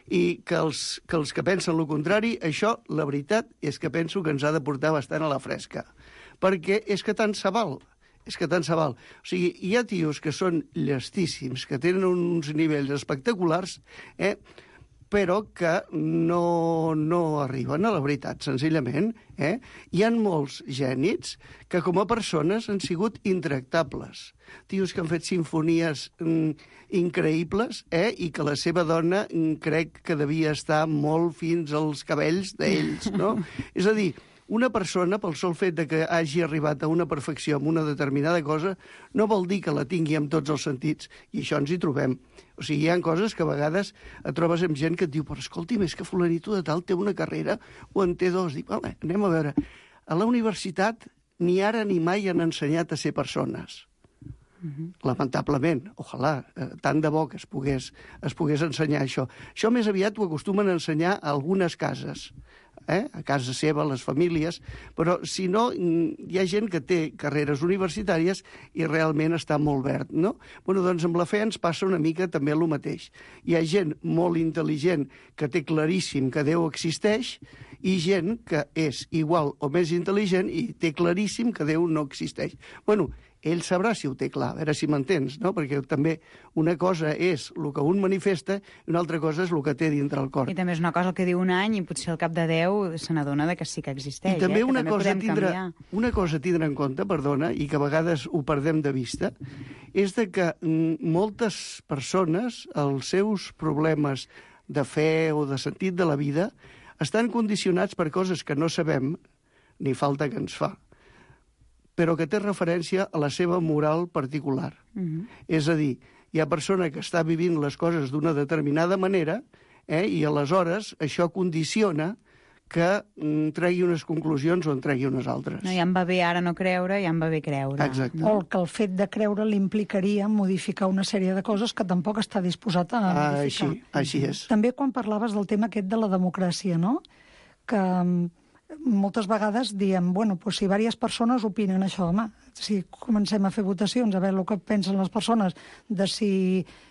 i que els que, els que pensen el contrari, això, la veritat, és que penso que ens ha de portar bastant a la fresca. Perquè és que tant se val. És que tant se val. O sigui, hi ha tios que són llestíssims, que tenen uns nivells espectaculars, eh? però que no, no arriben a la veritat, senzillament. Eh? Hi ha molts gènids que com a persones han sigut intractables. Tios que han fet sinfonies mm, increïbles eh? I que la seva dona mm, crec que devia estar molt fins als cabells d'ells, no? És a dir, una persona, pel sol fet de que hagi arribat a una perfecció en una determinada cosa, no vol dir que la tingui amb tots els sentits, i això ens hi trobem. O sigui, hi ha coses que a vegades et trobes amb gent que et diu però escolti, més que fulanito de tal té una carrera o en té dos. Dic, vale, anem a veure. A la universitat ni ara ni mai han ensenyat a ser persones. Uh-huh. Lamentablement, ojalà, eh, tant de bo que es pogués, es pogués ensenyar això. Això més aviat ho acostumen a ensenyar a algunes cases, eh? A casa seva, a les famílies, però si no, hi ha gent que té carreres universitàries i realment està molt verd, no? Bueno, doncs amb la fe ens passa una mica també el mateix. Hi ha gent molt intel·ligent que té claríssim que Déu existeix i gent que és igual o més intel·ligent i té claríssim que Déu no existeix. Bueno, ell sabrà si ho té clar, a veure si m'entens, no? Perquè també una cosa és el que un manifesta i una altra cosa és el que té dintre el cor. I també és una cosa el que diu un any i potser al cap de deu se n'adona que sí que existeix. I també, eh? una, que també cosa tindre, tindre, una cosa a tindre en compte, perdona, i que a vegades ho perdem de vista, és de que mm, moltes persones, els seus problemes de fe o de sentit de la vida, estan condicionats per coses que no sabem, ni falta que ens fa, però que té referència a la seva moral particular. Uh-huh. És a dir, hi ha persona que està vivint les coses d'una determinada manera eh, i aleshores això condiciona que mm, tregui unes conclusions o en tregui unes altres. No, ja em va bé ara no creure, ja em va bé creure. Exacte. O que el fet de creure l'implicaria modificar una sèrie de coses que tampoc està disposat a modificar. Ah, així, així és. També quan parlaves del tema aquest de la democràcia, no? Que moltes vegades diem, bueno, pues si diverses persones opinen això, home, si comencem a fer votacions, a veure el que pensen les persones de si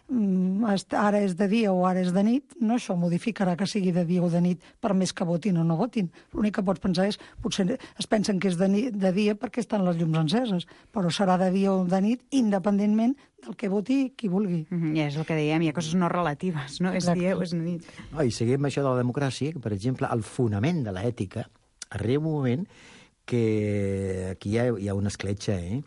mm, ara és de dia o ara és de nit, no això modificarà que sigui de dia o de nit per més que votin o no votin. L'únic que pots pensar és, potser es pensen que és de, nit, de dia perquè estan les llums enceses, però serà de dia o de nit independentment del que voti qui vulgui. Mm-hmm, ja és el que dèiem, hi ha coses no relatives, no? Exacte. És dia o és nit. No, i seguim això de la democràcia, que, per exemple, el fonament de l'ètica arriba un moment que aquí hi ha, hi ha una escletxa, eh?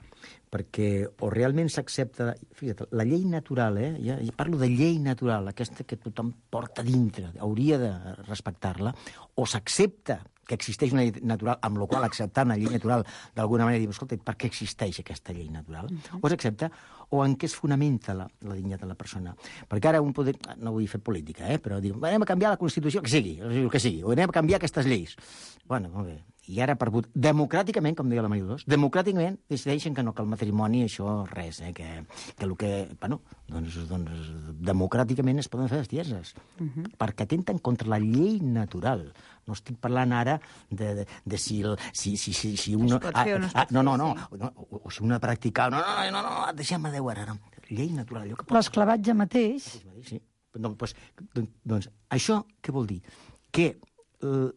Perquè o realment s'accepta... Fíjate, la llei natural, eh? Ja, ja parlo de llei natural, aquesta que tothom porta dintre, hauria de respectar-la, o s'accepta que existeix una llei natural, amb la qual acceptar una llei natural d'alguna manera, diu, escolta, per què existeix aquesta llei natural? Uh-huh. O s'accepta, o en què es fonamenta la, la dignitat de la persona. Perquè ara un poder... No vull fer política, eh? Però diu, anem a canviar la Constitució, que sigui, el que sigui, o anem a canviar aquestes lleis. Bueno, molt bé. I ara, per vot... democràticament, com deia la Maria Dolors, democràticament decideixen que no, que el matrimoni, això, res, eh? Que, que el que... Bueno, doncs, doncs democràticament es poden fer bestieses. Uh-huh. Perquè atenten contra la llei natural. No estic parlant ara de, de, de si, el, si, si, si, si un... Es pot fer o no es pot ah, no, no, no, fer, no, o, o si un ha practicat... No, no, no, no, no deixem-me Déu ara. No. Llei natural, allò que pot... L'esclavatge mateix... Sí, no, doncs, doncs, això què vol dir? Que eh,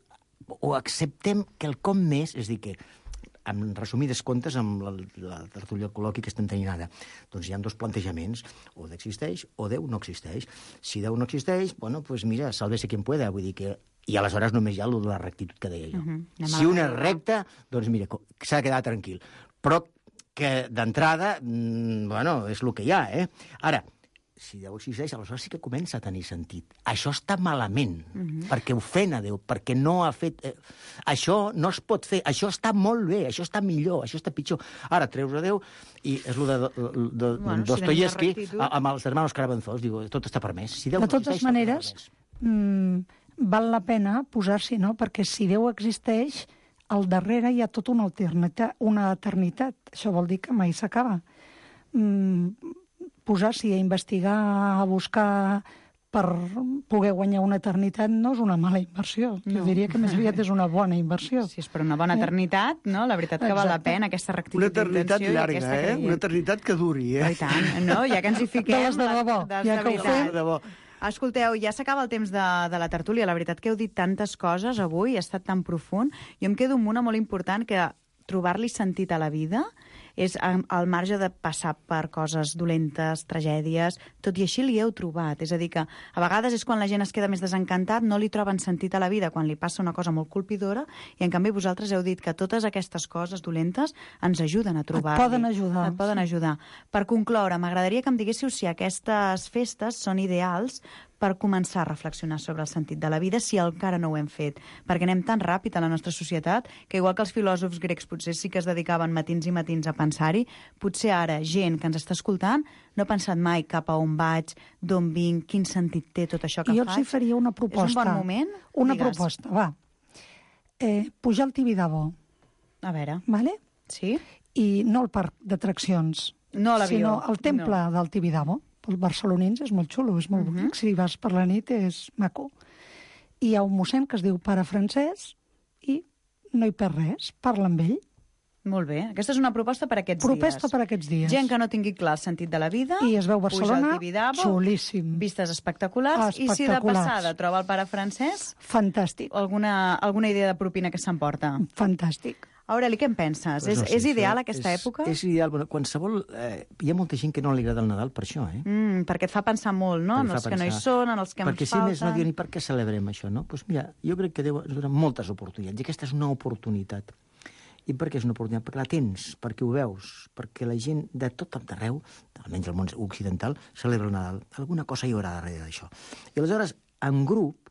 o acceptem que el com més, és a dir, que en resumides comptes, amb la, la tertúlia col·loqui que estem tenint ara, doncs hi ha dos plantejaments, o Déu existeix o Déu no existeix. Si Déu no existeix, bueno, pues mira, sálvese quien pueda, vull dir que... I aleshores només hi ha la rectitud que deia jo. Uh-huh. Si un és recte, doncs mira, s'ha de quedar tranquil. Però que d'entrada, mmm, bueno, és el que hi ha, eh? Ara, si Déu existeix, aleshores sí que comença a tenir sentit. Això està malament, uh-huh. perquè ofèn a Déu, perquè no ha fet... Eh, això no es pot fer, això està molt bé, això està millor, això està pitjor. Ara, treus a Déu, i és el de, de, de, bueno, Dostoyevsky, si amb els hermanos Karamazov, diu, tot està permès. Si Déu de totes existeix, maneres, mmm, val la pena posar-s'hi, no? Perquè si Déu existeix, al darrere hi ha tota una eternitat, una eternitat. Això vol dir que mai s'acaba. Mm, posar-s'hi a investigar, a buscar per poder guanyar una eternitat no és una mala inversió. No. Jo diria que més aviat és una bona inversió. Si és per una bona eternitat, no? La veritat que Exacte. Val la pena aquesta rectitud d'intenció. Una eternitat llarga, eh? Una eternitat que duri, eh? Oh, i tant, no? Ja que ens hi fiquem... De les de debò. De, de, ja que ho fem. De debò. Escolteu, ja s'acaba el temps de, de la tertúlia. La veritat que heu dit tantes coses avui, ha estat tan profund. Jo em quedo amb una molt important, que trobar-li sentit a la vida és al marge de passar per coses dolentes, tragèdies, tot i així li heu trobat. És a dir, que a vegades és quan la gent es queda més desencantat, no li troben sentit a la vida quan li passa una cosa molt colpidora, i en canvi vosaltres heu dit que totes aquestes coses dolentes ens ajuden a trobar-li. Et poden ajudar. Et poden ajudar. Per concloure, m'agradaria que em diguéssiu si aquestes festes són ideals per començar a reflexionar sobre el sentit de la vida, si encara no ho hem fet. Perquè anem tan ràpid a la nostra societat que, igual que els filòsofs grecs potser sí que es dedicaven matins i matins a pensar-hi, potser ara gent que ens està escoltant no ha pensat mai cap a on vaig, d'on vinc, quin sentit té tot això que jo faig. Jo els faria una proposta. És un bon moment? Una Digues. proposta, va. Eh, pujar al Tibidabo. A veure. Vale? Sí. I no el parc d'atraccions, no l'avió, sinó el temple no. del Tibidabo. Pels barcelonins és molt xulo, és molt uh -huh. bonic. Si vas per la nit és maco. I hi ha un mossèn que es diu Pare Francesc i no hi perd res, parla amb ell. Molt bé. Aquesta és una proposta per aquests proposta dies. per aquests dies. Gent que no tingui clar el sentit de la vida, i es veu Barcelona, Tibidabo, xulíssim. Vistes espectaculars, espectaculars, i si de passada troba el Pare Francesc... Fantàstic. Alguna, alguna idea de propina que s'emporta. Fantàstic. Aureli, què en penses? Pues no és, sé, és ideal això aquesta és, època? És ideal. Bueno, qualsevol... Eh, hi ha molta gent que no li agrada el Nadal per això, eh? Mm, perquè et fa pensar molt, no? En els que no hi són, en els que perquè ens si falten... més no diuen, i per què celebrem això, no? Doncs pues mira, jo crec que Déu ens dona moltes oportunitats, i aquesta és una oportunitat. I per què és una oportunitat? Perquè la tens, perquè ho veus, perquè la gent de tot arreu, almenys el món occidental, celebra el Nadal. Alguna cosa hi haurà darrere d'això. I aleshores, en grup,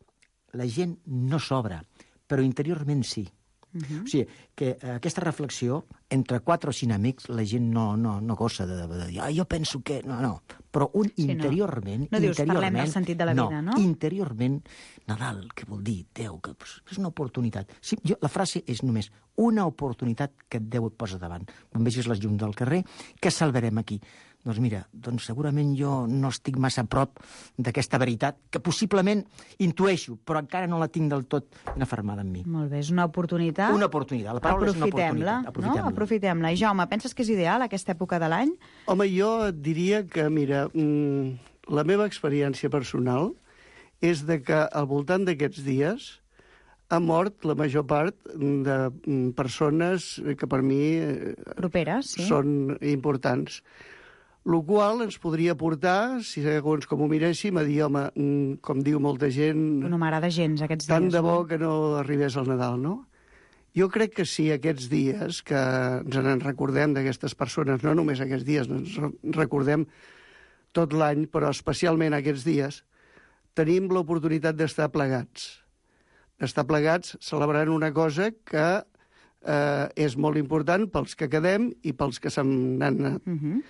la gent no s'obre, però interiorment sí. Uh-huh. O sigui, que eh, aquesta reflexió, entre quatre o cinc amics, la gent no, no, no gossa de, de, de dir, ah, jo penso que... No, no. Però un sí, interiorment... No, no dius, interiorment, parlem del sentit de la vida, no? No, interiorment, Nadal, què vol dir? Déu, que és una oportunitat. Sí, jo, la frase és només una oportunitat que Déu et posa davant. Quan vegis les llums del carrer, què salvarem aquí? Doncs mira, doncs segurament jo no estic massa a prop d'aquesta veritat, que possiblement intueixo, però encara no la tinc del tot ben afermada en mi. Molt bé, és una oportunitat. Una oportunitat, la paraula és una oportunitat. Aprofitem-la, no? Aprofitem-la. I Jaume, penses que és ideal aquesta època de l'any? Home, jo et diria que, mira, mmm, la meva experiència personal és de que al voltant d'aquests dies ha mort la major part de persones que per mi properes, sí. Són importants. El qual ens podria portar, si segons com ho miréssim, a dir, home, com diu molta gent... No m'agrada gens aquests dies. Tant de bo que no arribés al Nadal, no? Jo crec que sí, aquests dies, que ens en recordem d'aquestes persones, no només aquests dies, ens recordem tot l'any, però especialment aquests dies, tenim l'oportunitat d'estar plegats. D'estar plegats celebrant una cosa que eh, és molt important pels que quedem i pels que se'n han anat. Uh-huh.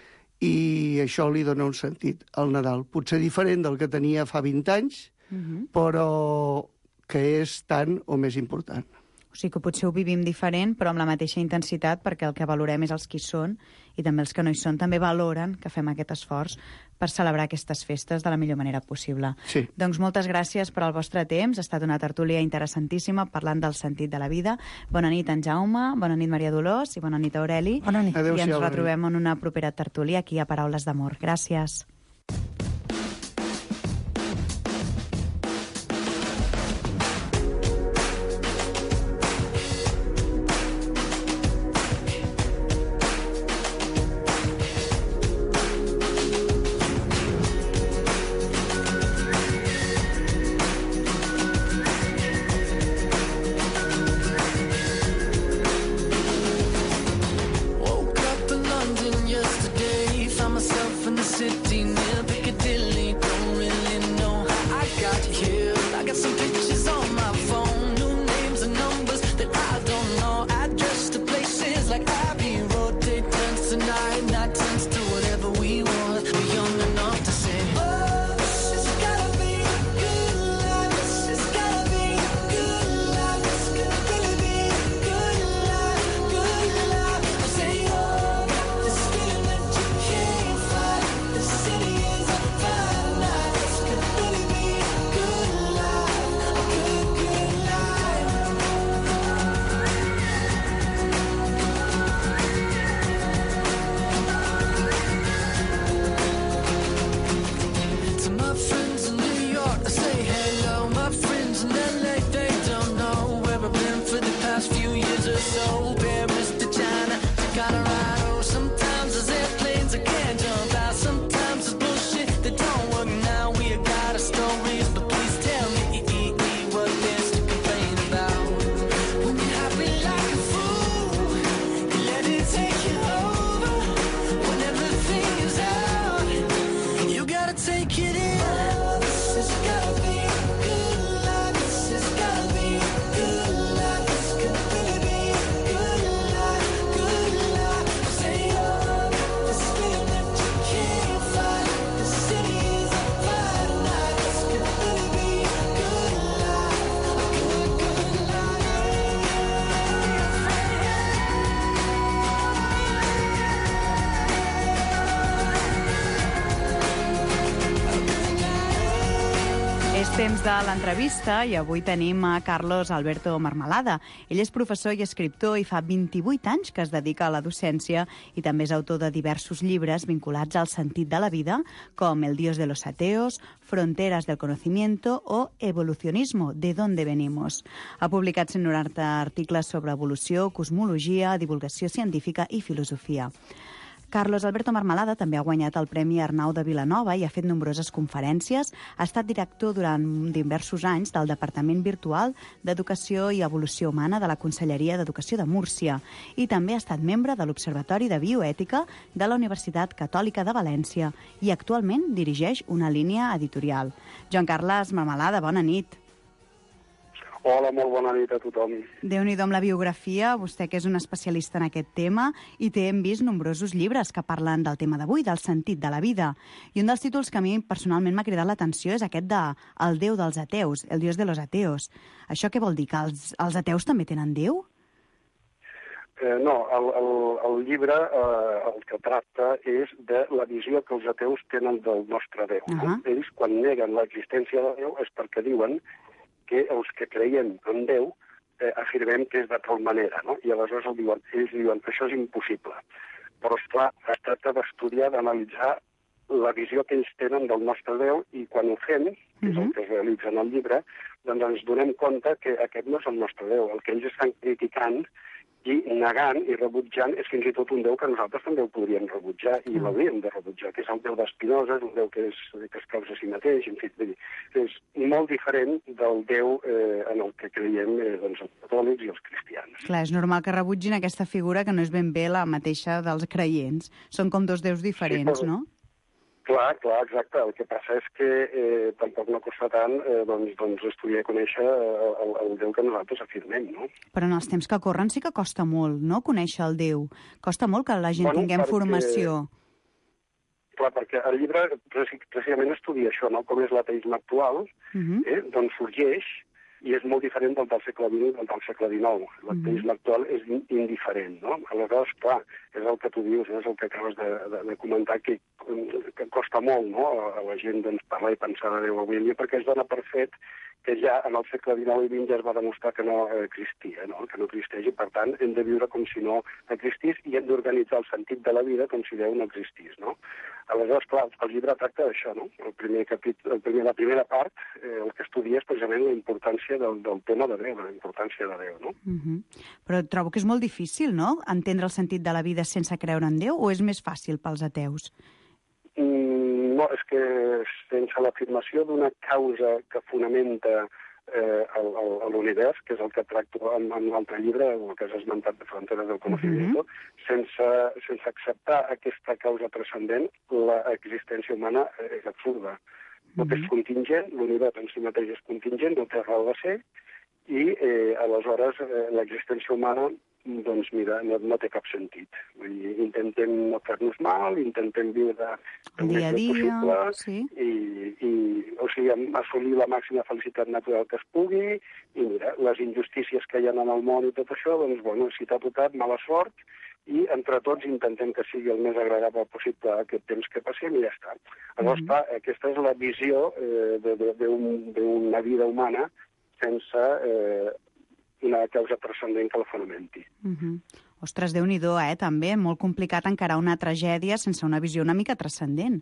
I això li dona un sentit al Nadal. Potser diferent del que tenia fa vint anys, uh-huh. però que és tan o més important. O sigui que potser ho vivim diferent, però amb la mateixa intensitat, perquè el que valorem és els que hi són, i també els que no hi són també valoren que fem aquest esforç per celebrar aquestes festes de la millor manera possible. Sí. Doncs moltes gràcies per al vostre temps. Ha estat una tertúlia interessantíssima parlant del sentit de la vida. Bona nit, en Jaume, bona nit, Maria Dolors, i bona nit, Aureli. Bona nit. Adéu-siau, I ens retrobem en una propera tertúlia aquí a Paraules d'Amor. Gràcies. So, Paris to China to Colorado, some temps de l'entrevista i avui tenim a Carlos Alberto Marmalada. Ell és professor i escriptor i fa vint-i-vuit anys que es dedica a la docència i també és autor de diversos llibres vinculats al sentit de la vida, com El Dios de los ateos, Fronteras del conocimiento o Evolucionismo, de dónde venimos. Ha publicat cent noranta articles sobre evolució, cosmologia, divulgació científica i filosofia. Carlos Alberto Marmalada també ha guanyat el Premi Arnau de Vilanova i ha fet nombroses conferències. Ha estat director durant diversos anys del Departament Virtual d'Educació i Evolució Humana de la Conselleria d'Educació de Múrcia i també ha estat membre de l'Observatori de Bioètica de la Universitat Catòlica de València i actualment dirigeix una línia editorial. Joan Carles Marmalada, bona nit. Hola, molt bona nit a tothom. Déu-n'hi-do amb la biografia, vostè que és un especialista en aquest tema, i té, hem vist, nombrosos llibres que parlen del tema d'avui, del sentit de la vida. I un dels títols que a mi personalment m'ha cridat l'atenció és aquest de El Déu dels ateus, El Dios de los ateos. Això què vol dir, que els, els ateus també tenen Déu? Eh, no, el, el, el llibre eh, el que tracta és de la visió que els ateus tenen del nostre Déu. Uh -huh. Ells, quan neguen l'existència de Déu, és perquè diuen que els que creiem en Déu eh, afirmem que és de tal manera, no? I aleshores el diuen, ells diuen que això és impossible. Però, esclar, es tracta d'estudiar, d'analitzar la visió que ells tenen del nostre Déu i quan ho fem, que és el que es realitza en el llibre, doncs ens donem compte que aquest no és el nostre Déu. El que ells estan criticant i negant i rebutjant és fins i tot un Déu que nosaltres també ho podríem rebutjar i l'hauríem de rebutjar, que és el Déu d'Espinosa, és un Déu que, és, que es causa a si mateix, en fi, és molt diferent del Déu eh, en el que creiem eh, doncs, els catòlics i els cristians. Clar, és normal que rebutgin aquesta figura que no és ben bé la mateixa dels creients. Són com dos déus diferents, sí, però... no? Clar, clar, exacte. El que passa és que eh, tampoc no costa tant eh, doncs, doncs estudiar i conèixer el, el Déu que nosaltres afirmem, no? Però en els temps que corren sí que costa molt, no?, conèixer el Déu. Costa molt que la gent bueno, tinguem perquè... formació. Clar, perquè el llibre precisament estudia això, no?, com és l'ateisme actual, uh-huh. eh, doncs sorgeix i és molt diferent del del segle vint i del del segle dinou. L'ateisme actual és indiferent, no? Aleshores, clar, és el que tu dius, és el que acabes de, de, de comentar, que, que costa molt, no?, a la gent doncs, parlar i pensar de Déu avui en dia, perquè es dona per fet que ja en el segle dinou i vint ja es va demostrar que no existia, no?, que no existeix, i per tant hem de viure com si no existís i hem d'organitzar el sentit de la vida com si Déu no existís, no? Aleshores, clar, el llibre tracta d'això, no? El primer capítol, el primer, la primera part, eh, el que estudia és precisament la importància del, del tema de Déu, la importància de Déu, no? Uh-huh. Però trobo que és molt difícil, no?, entendre el sentit de la vida sense creure en Déu, o és més fàcil pels ateus? Mm, no, és que sense l'afirmació d'una causa que fonamenta eh, l'univers, que és el que tracto en, en l'altre llibre, el que has esmentat de Fronteras del conocimiento, uh-huh. sense, sense acceptar aquesta causa transcendent, l'existència humana és absurda. Tot uh-huh. és contingent, l'univers en si mateix és contingent, no té raó de ser, i eh, aleshores eh, l'existència humana doncs mira, no, no té cap sentit. Vull dir, intentem no fer-nos mal, intentem viure el dia a dia, possible, sí. i, i o sigui, assolir la màxima felicitat natural que es pugui, i mira, les injustícies que hi ha en el món i tot això, doncs, bueno, si t'ha tocat, mala sort, i entre tots intentem que sigui el més agradable possible aquest temps que passem i ja està. Llavors, mm-hmm. clar, aquesta és la visió eh, d'una un, vida humana sense eh, una causa transcendent que la fonamenti. Uh-huh. Ostres, Déu-n'hi-do, eh, també. Molt complicat encarar una tragèdia sense una visió una mica transcendent.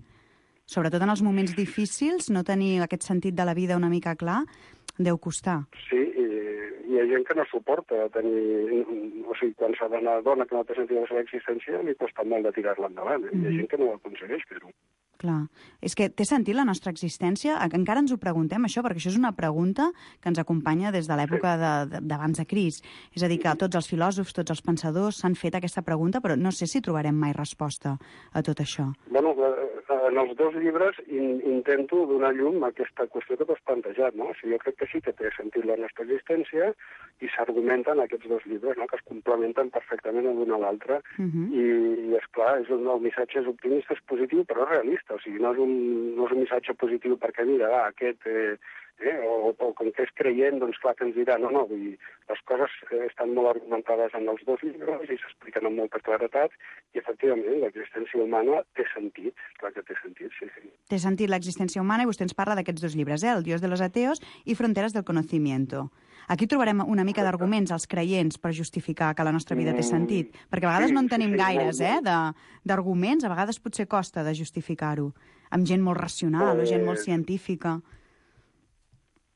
Sobretot en els moments difícils, no tenir aquest sentit de la vida una mica clar, deu costar. Sí, i hi ha gent que no suporta tenir... O sigui, quan s'ha d'anar dona que no té sentit de la seva existència, li costa molt de tirar-la endavant. Eh? Uh-huh. Hi ha gent que no ho aconsegueix fer-ho. Clar. És que té sentit la nostra existència? Encara ens ho preguntem, això, perquè això és una pregunta que ens acompanya des de l'època d'abans de, de Crist. És a dir, que tots els filòsofs, tots els pensadors s'han fet aquesta pregunta, però no sé si trobarem mai resposta a tot això. Bueno, en els dos llibres in, intento donar llum a aquesta qüestió que t'has plantejat, no? O sigui, jo crec que sí que té sentit la nostra existència i s'argumenten aquests dos llibres, no?, que es complementen perfectament l'un a l'altre. Uh-huh. I, i esclar, és un, el missatge és optimista, és positiu, però realista. O sigui, no és un, no és un missatge positiu perquè, mira, va, aquest eh, Eh? O, o com que és creient, doncs clar que ens dirà, no, no, vull dir, les coses eh, estan molt argumentades en els dos llibres i s'expliquen amb molta claretat, i efectivament l'existència humana té sentit, clar que té sentit, sí, sí. Té sentit l'existència humana, i vostè ens parla d'aquests dos llibres, eh? El Dios de los ateos i Fronteras del conocimiento. Aquí trobarem una mica d'arguments als creients per justificar que la nostra vida té sentit, perquè a vegades no en tenim gaires, eh, d'arguments, a vegades potser costa de justificar-ho, amb gent molt racional o gent molt científica.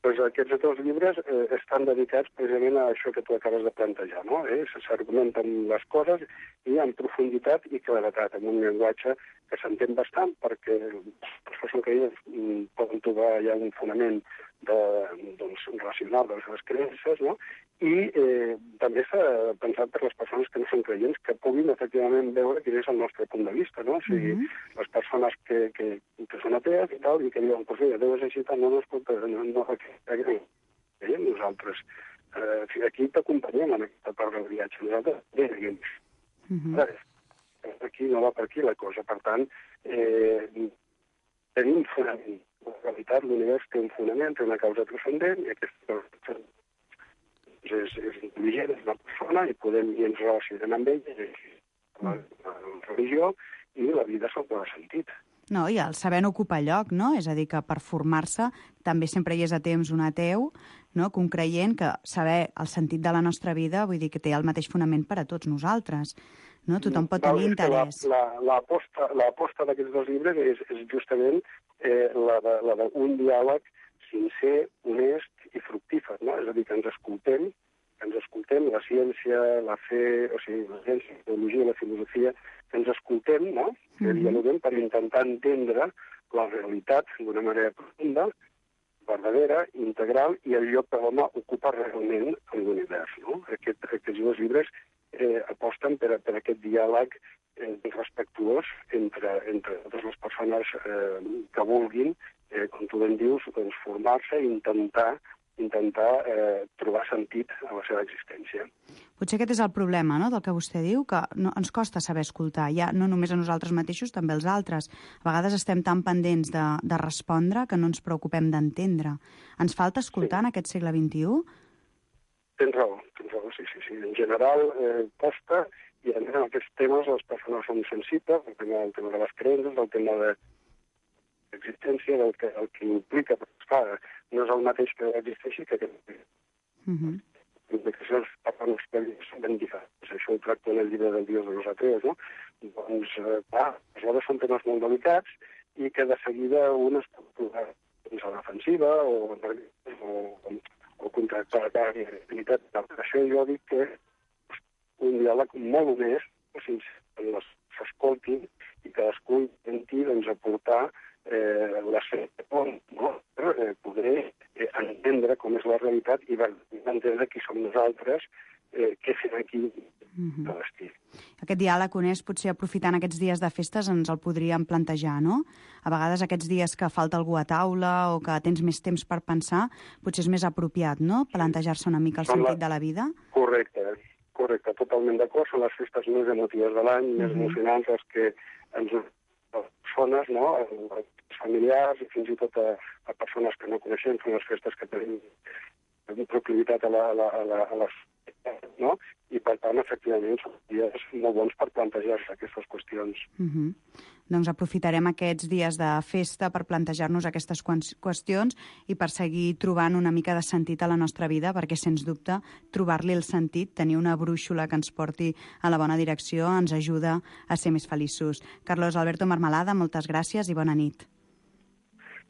Doncs aquests dos llibres eh, estan dedicats precisament a això que tu acabes de plantejar, no? Eh? S'argumenten les coses i en profunditat i claretat, amb un llenguatge que s'entén bastant, perquè les persones que mm, poden trobar ja un fonament de, doncs, racional de les seves creences, no? I eh, també s'ha pensat per les persones que no són creients, que puguin efectivament veure quin és el nostre punt de vista, no? O sigui, mm-hmm. les persones que, que, que són atees i tal, i que diuen, pues mira, Déu és així, no, no, escolta, no, no, aquí, veiem nosaltres. Eh, aquí t'acompanyem en aquesta part del viatge. Nosaltres, bé, diguem, mm-hmm. aquí no va per aquí la cosa. Per tant, eh, tenim un fonament. En realitat, l'univers té un fonament, té una causa transcendent, i aquesta causa és, és intel·ligent, és una persona, i podem i ens relacionem amb ell, la, la religió, i la vida se'l dona sentit. No, i el saber no ocupa lloc, no? És a dir, que per formar-se també sempre hi és a temps un ateu, no? Que un creient, que saber el sentit de la nostra vida, vull dir que té el mateix fonament per a tots nosaltres. No? Tothom pot tenir interès. L'aposta la, la, d'aquests dos llibres és, és justament eh, la d'un diàleg sincer, honest i fructífer, no? És a dir, que ens escoltem, que ens escoltem la ciència, la fe, o sigui, la ciència, la teologia, la filosofia, que ens escoltem, no? Que mm-hmm. dialoguem per intentar entendre la realitat d'una manera profunda, verdadera, integral, i el lloc que l'home ocupa realment en l'univers, no? Aquest, aquests dos llibres eh, aposten per, per aquest diàleg eh, respectuós entre, entre totes les persones eh, que vulguin, eh, com tu ben dius, doncs, formar-se i intentar intentar eh, trobar sentit a la seva existència. Potser aquest és el problema, no?, del que vostè diu, que no, ens costa saber escoltar, ja no només a nosaltres mateixos, també als altres. A vegades estem tan pendents de, de respondre que no ens preocupem d'entendre. Ens falta escoltar sí. en aquest segle vint-i-u? Tens raó, tens raó, sí, sí, sí. En general eh, costa, i a més en aquests temes les persones són sensibles, el tema, el tema de les creences, el tema de l'existència, del que, el que implica, però clar, no és el mateix que existeixi que aquest. Mm-hmm. Les implicacions per a l'experiència són ben diferents. Això ho tracto en el llibre del Dios de los ateos, no? Doncs, eh, clar, aleshores són temes molt delicats i que de seguida un es pot trobar doncs, a la defensiva o, o, o contractar la realitat. Per això jo dic que un diàleg molt honest, que s'escoltin i cadascú intenti doncs, aportar Eh, la fe, no? eh, poder eh, entendre com és la realitat i entendre qui som nosaltres, eh, què fem aquí mm-hmm. a l'estiu. Aquest diàleg honest, potser aprofitant aquests dies de festes, ens el podríem plantejar, no? A vegades aquests dies que falta algú a taula o que tens més temps per pensar, potser és més apropiat, no?, plantejar-se una mica el Són sentit la... de la vida. Correcte, correcte, totalment d'acord. Són les festes més emotives de l'any, mm-hmm. més emocionants, les que ens persones, no?, els familiars i fins i tot a, a persones que no coneixem, són les festes que tenim proclivitat a, la, a, la, a, la, a les no? I per tant, efectivament, són dies molt bons per plantejar-se aquestes qüestions. Mm-hmm. Doncs aprofitarem aquests dies de festa per plantejar-nos aquestes qüestions i per seguir trobant una mica de sentit a la nostra vida, perquè, sens dubte, trobar-li el sentit, tenir una brúixola que ens porti a la bona direcció, ens ajuda a ser més feliços. Carlos Alberto Marmalada, moltes gràcies i bona nit.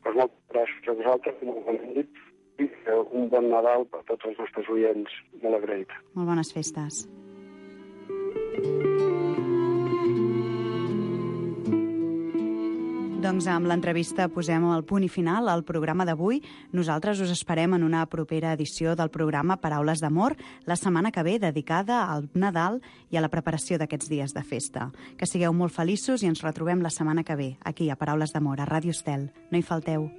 Pues moltes gràcies a vosaltres, molt bona nit, i un bon Nadal per tots els nostres oients. Molt agraït. Molt bones festes. Doncs amb l'entrevista posem el punt i final al programa d'avui. Nosaltres us esperem en una propera edició del programa Paraules d'Amor la setmana que ve, dedicada al Nadal i a la preparació d'aquests dies de festa. Que sigueu molt feliços i ens retrobem la setmana que ve, aquí a Paraules d'Amor, a Ràdio Estel. No hi falteu.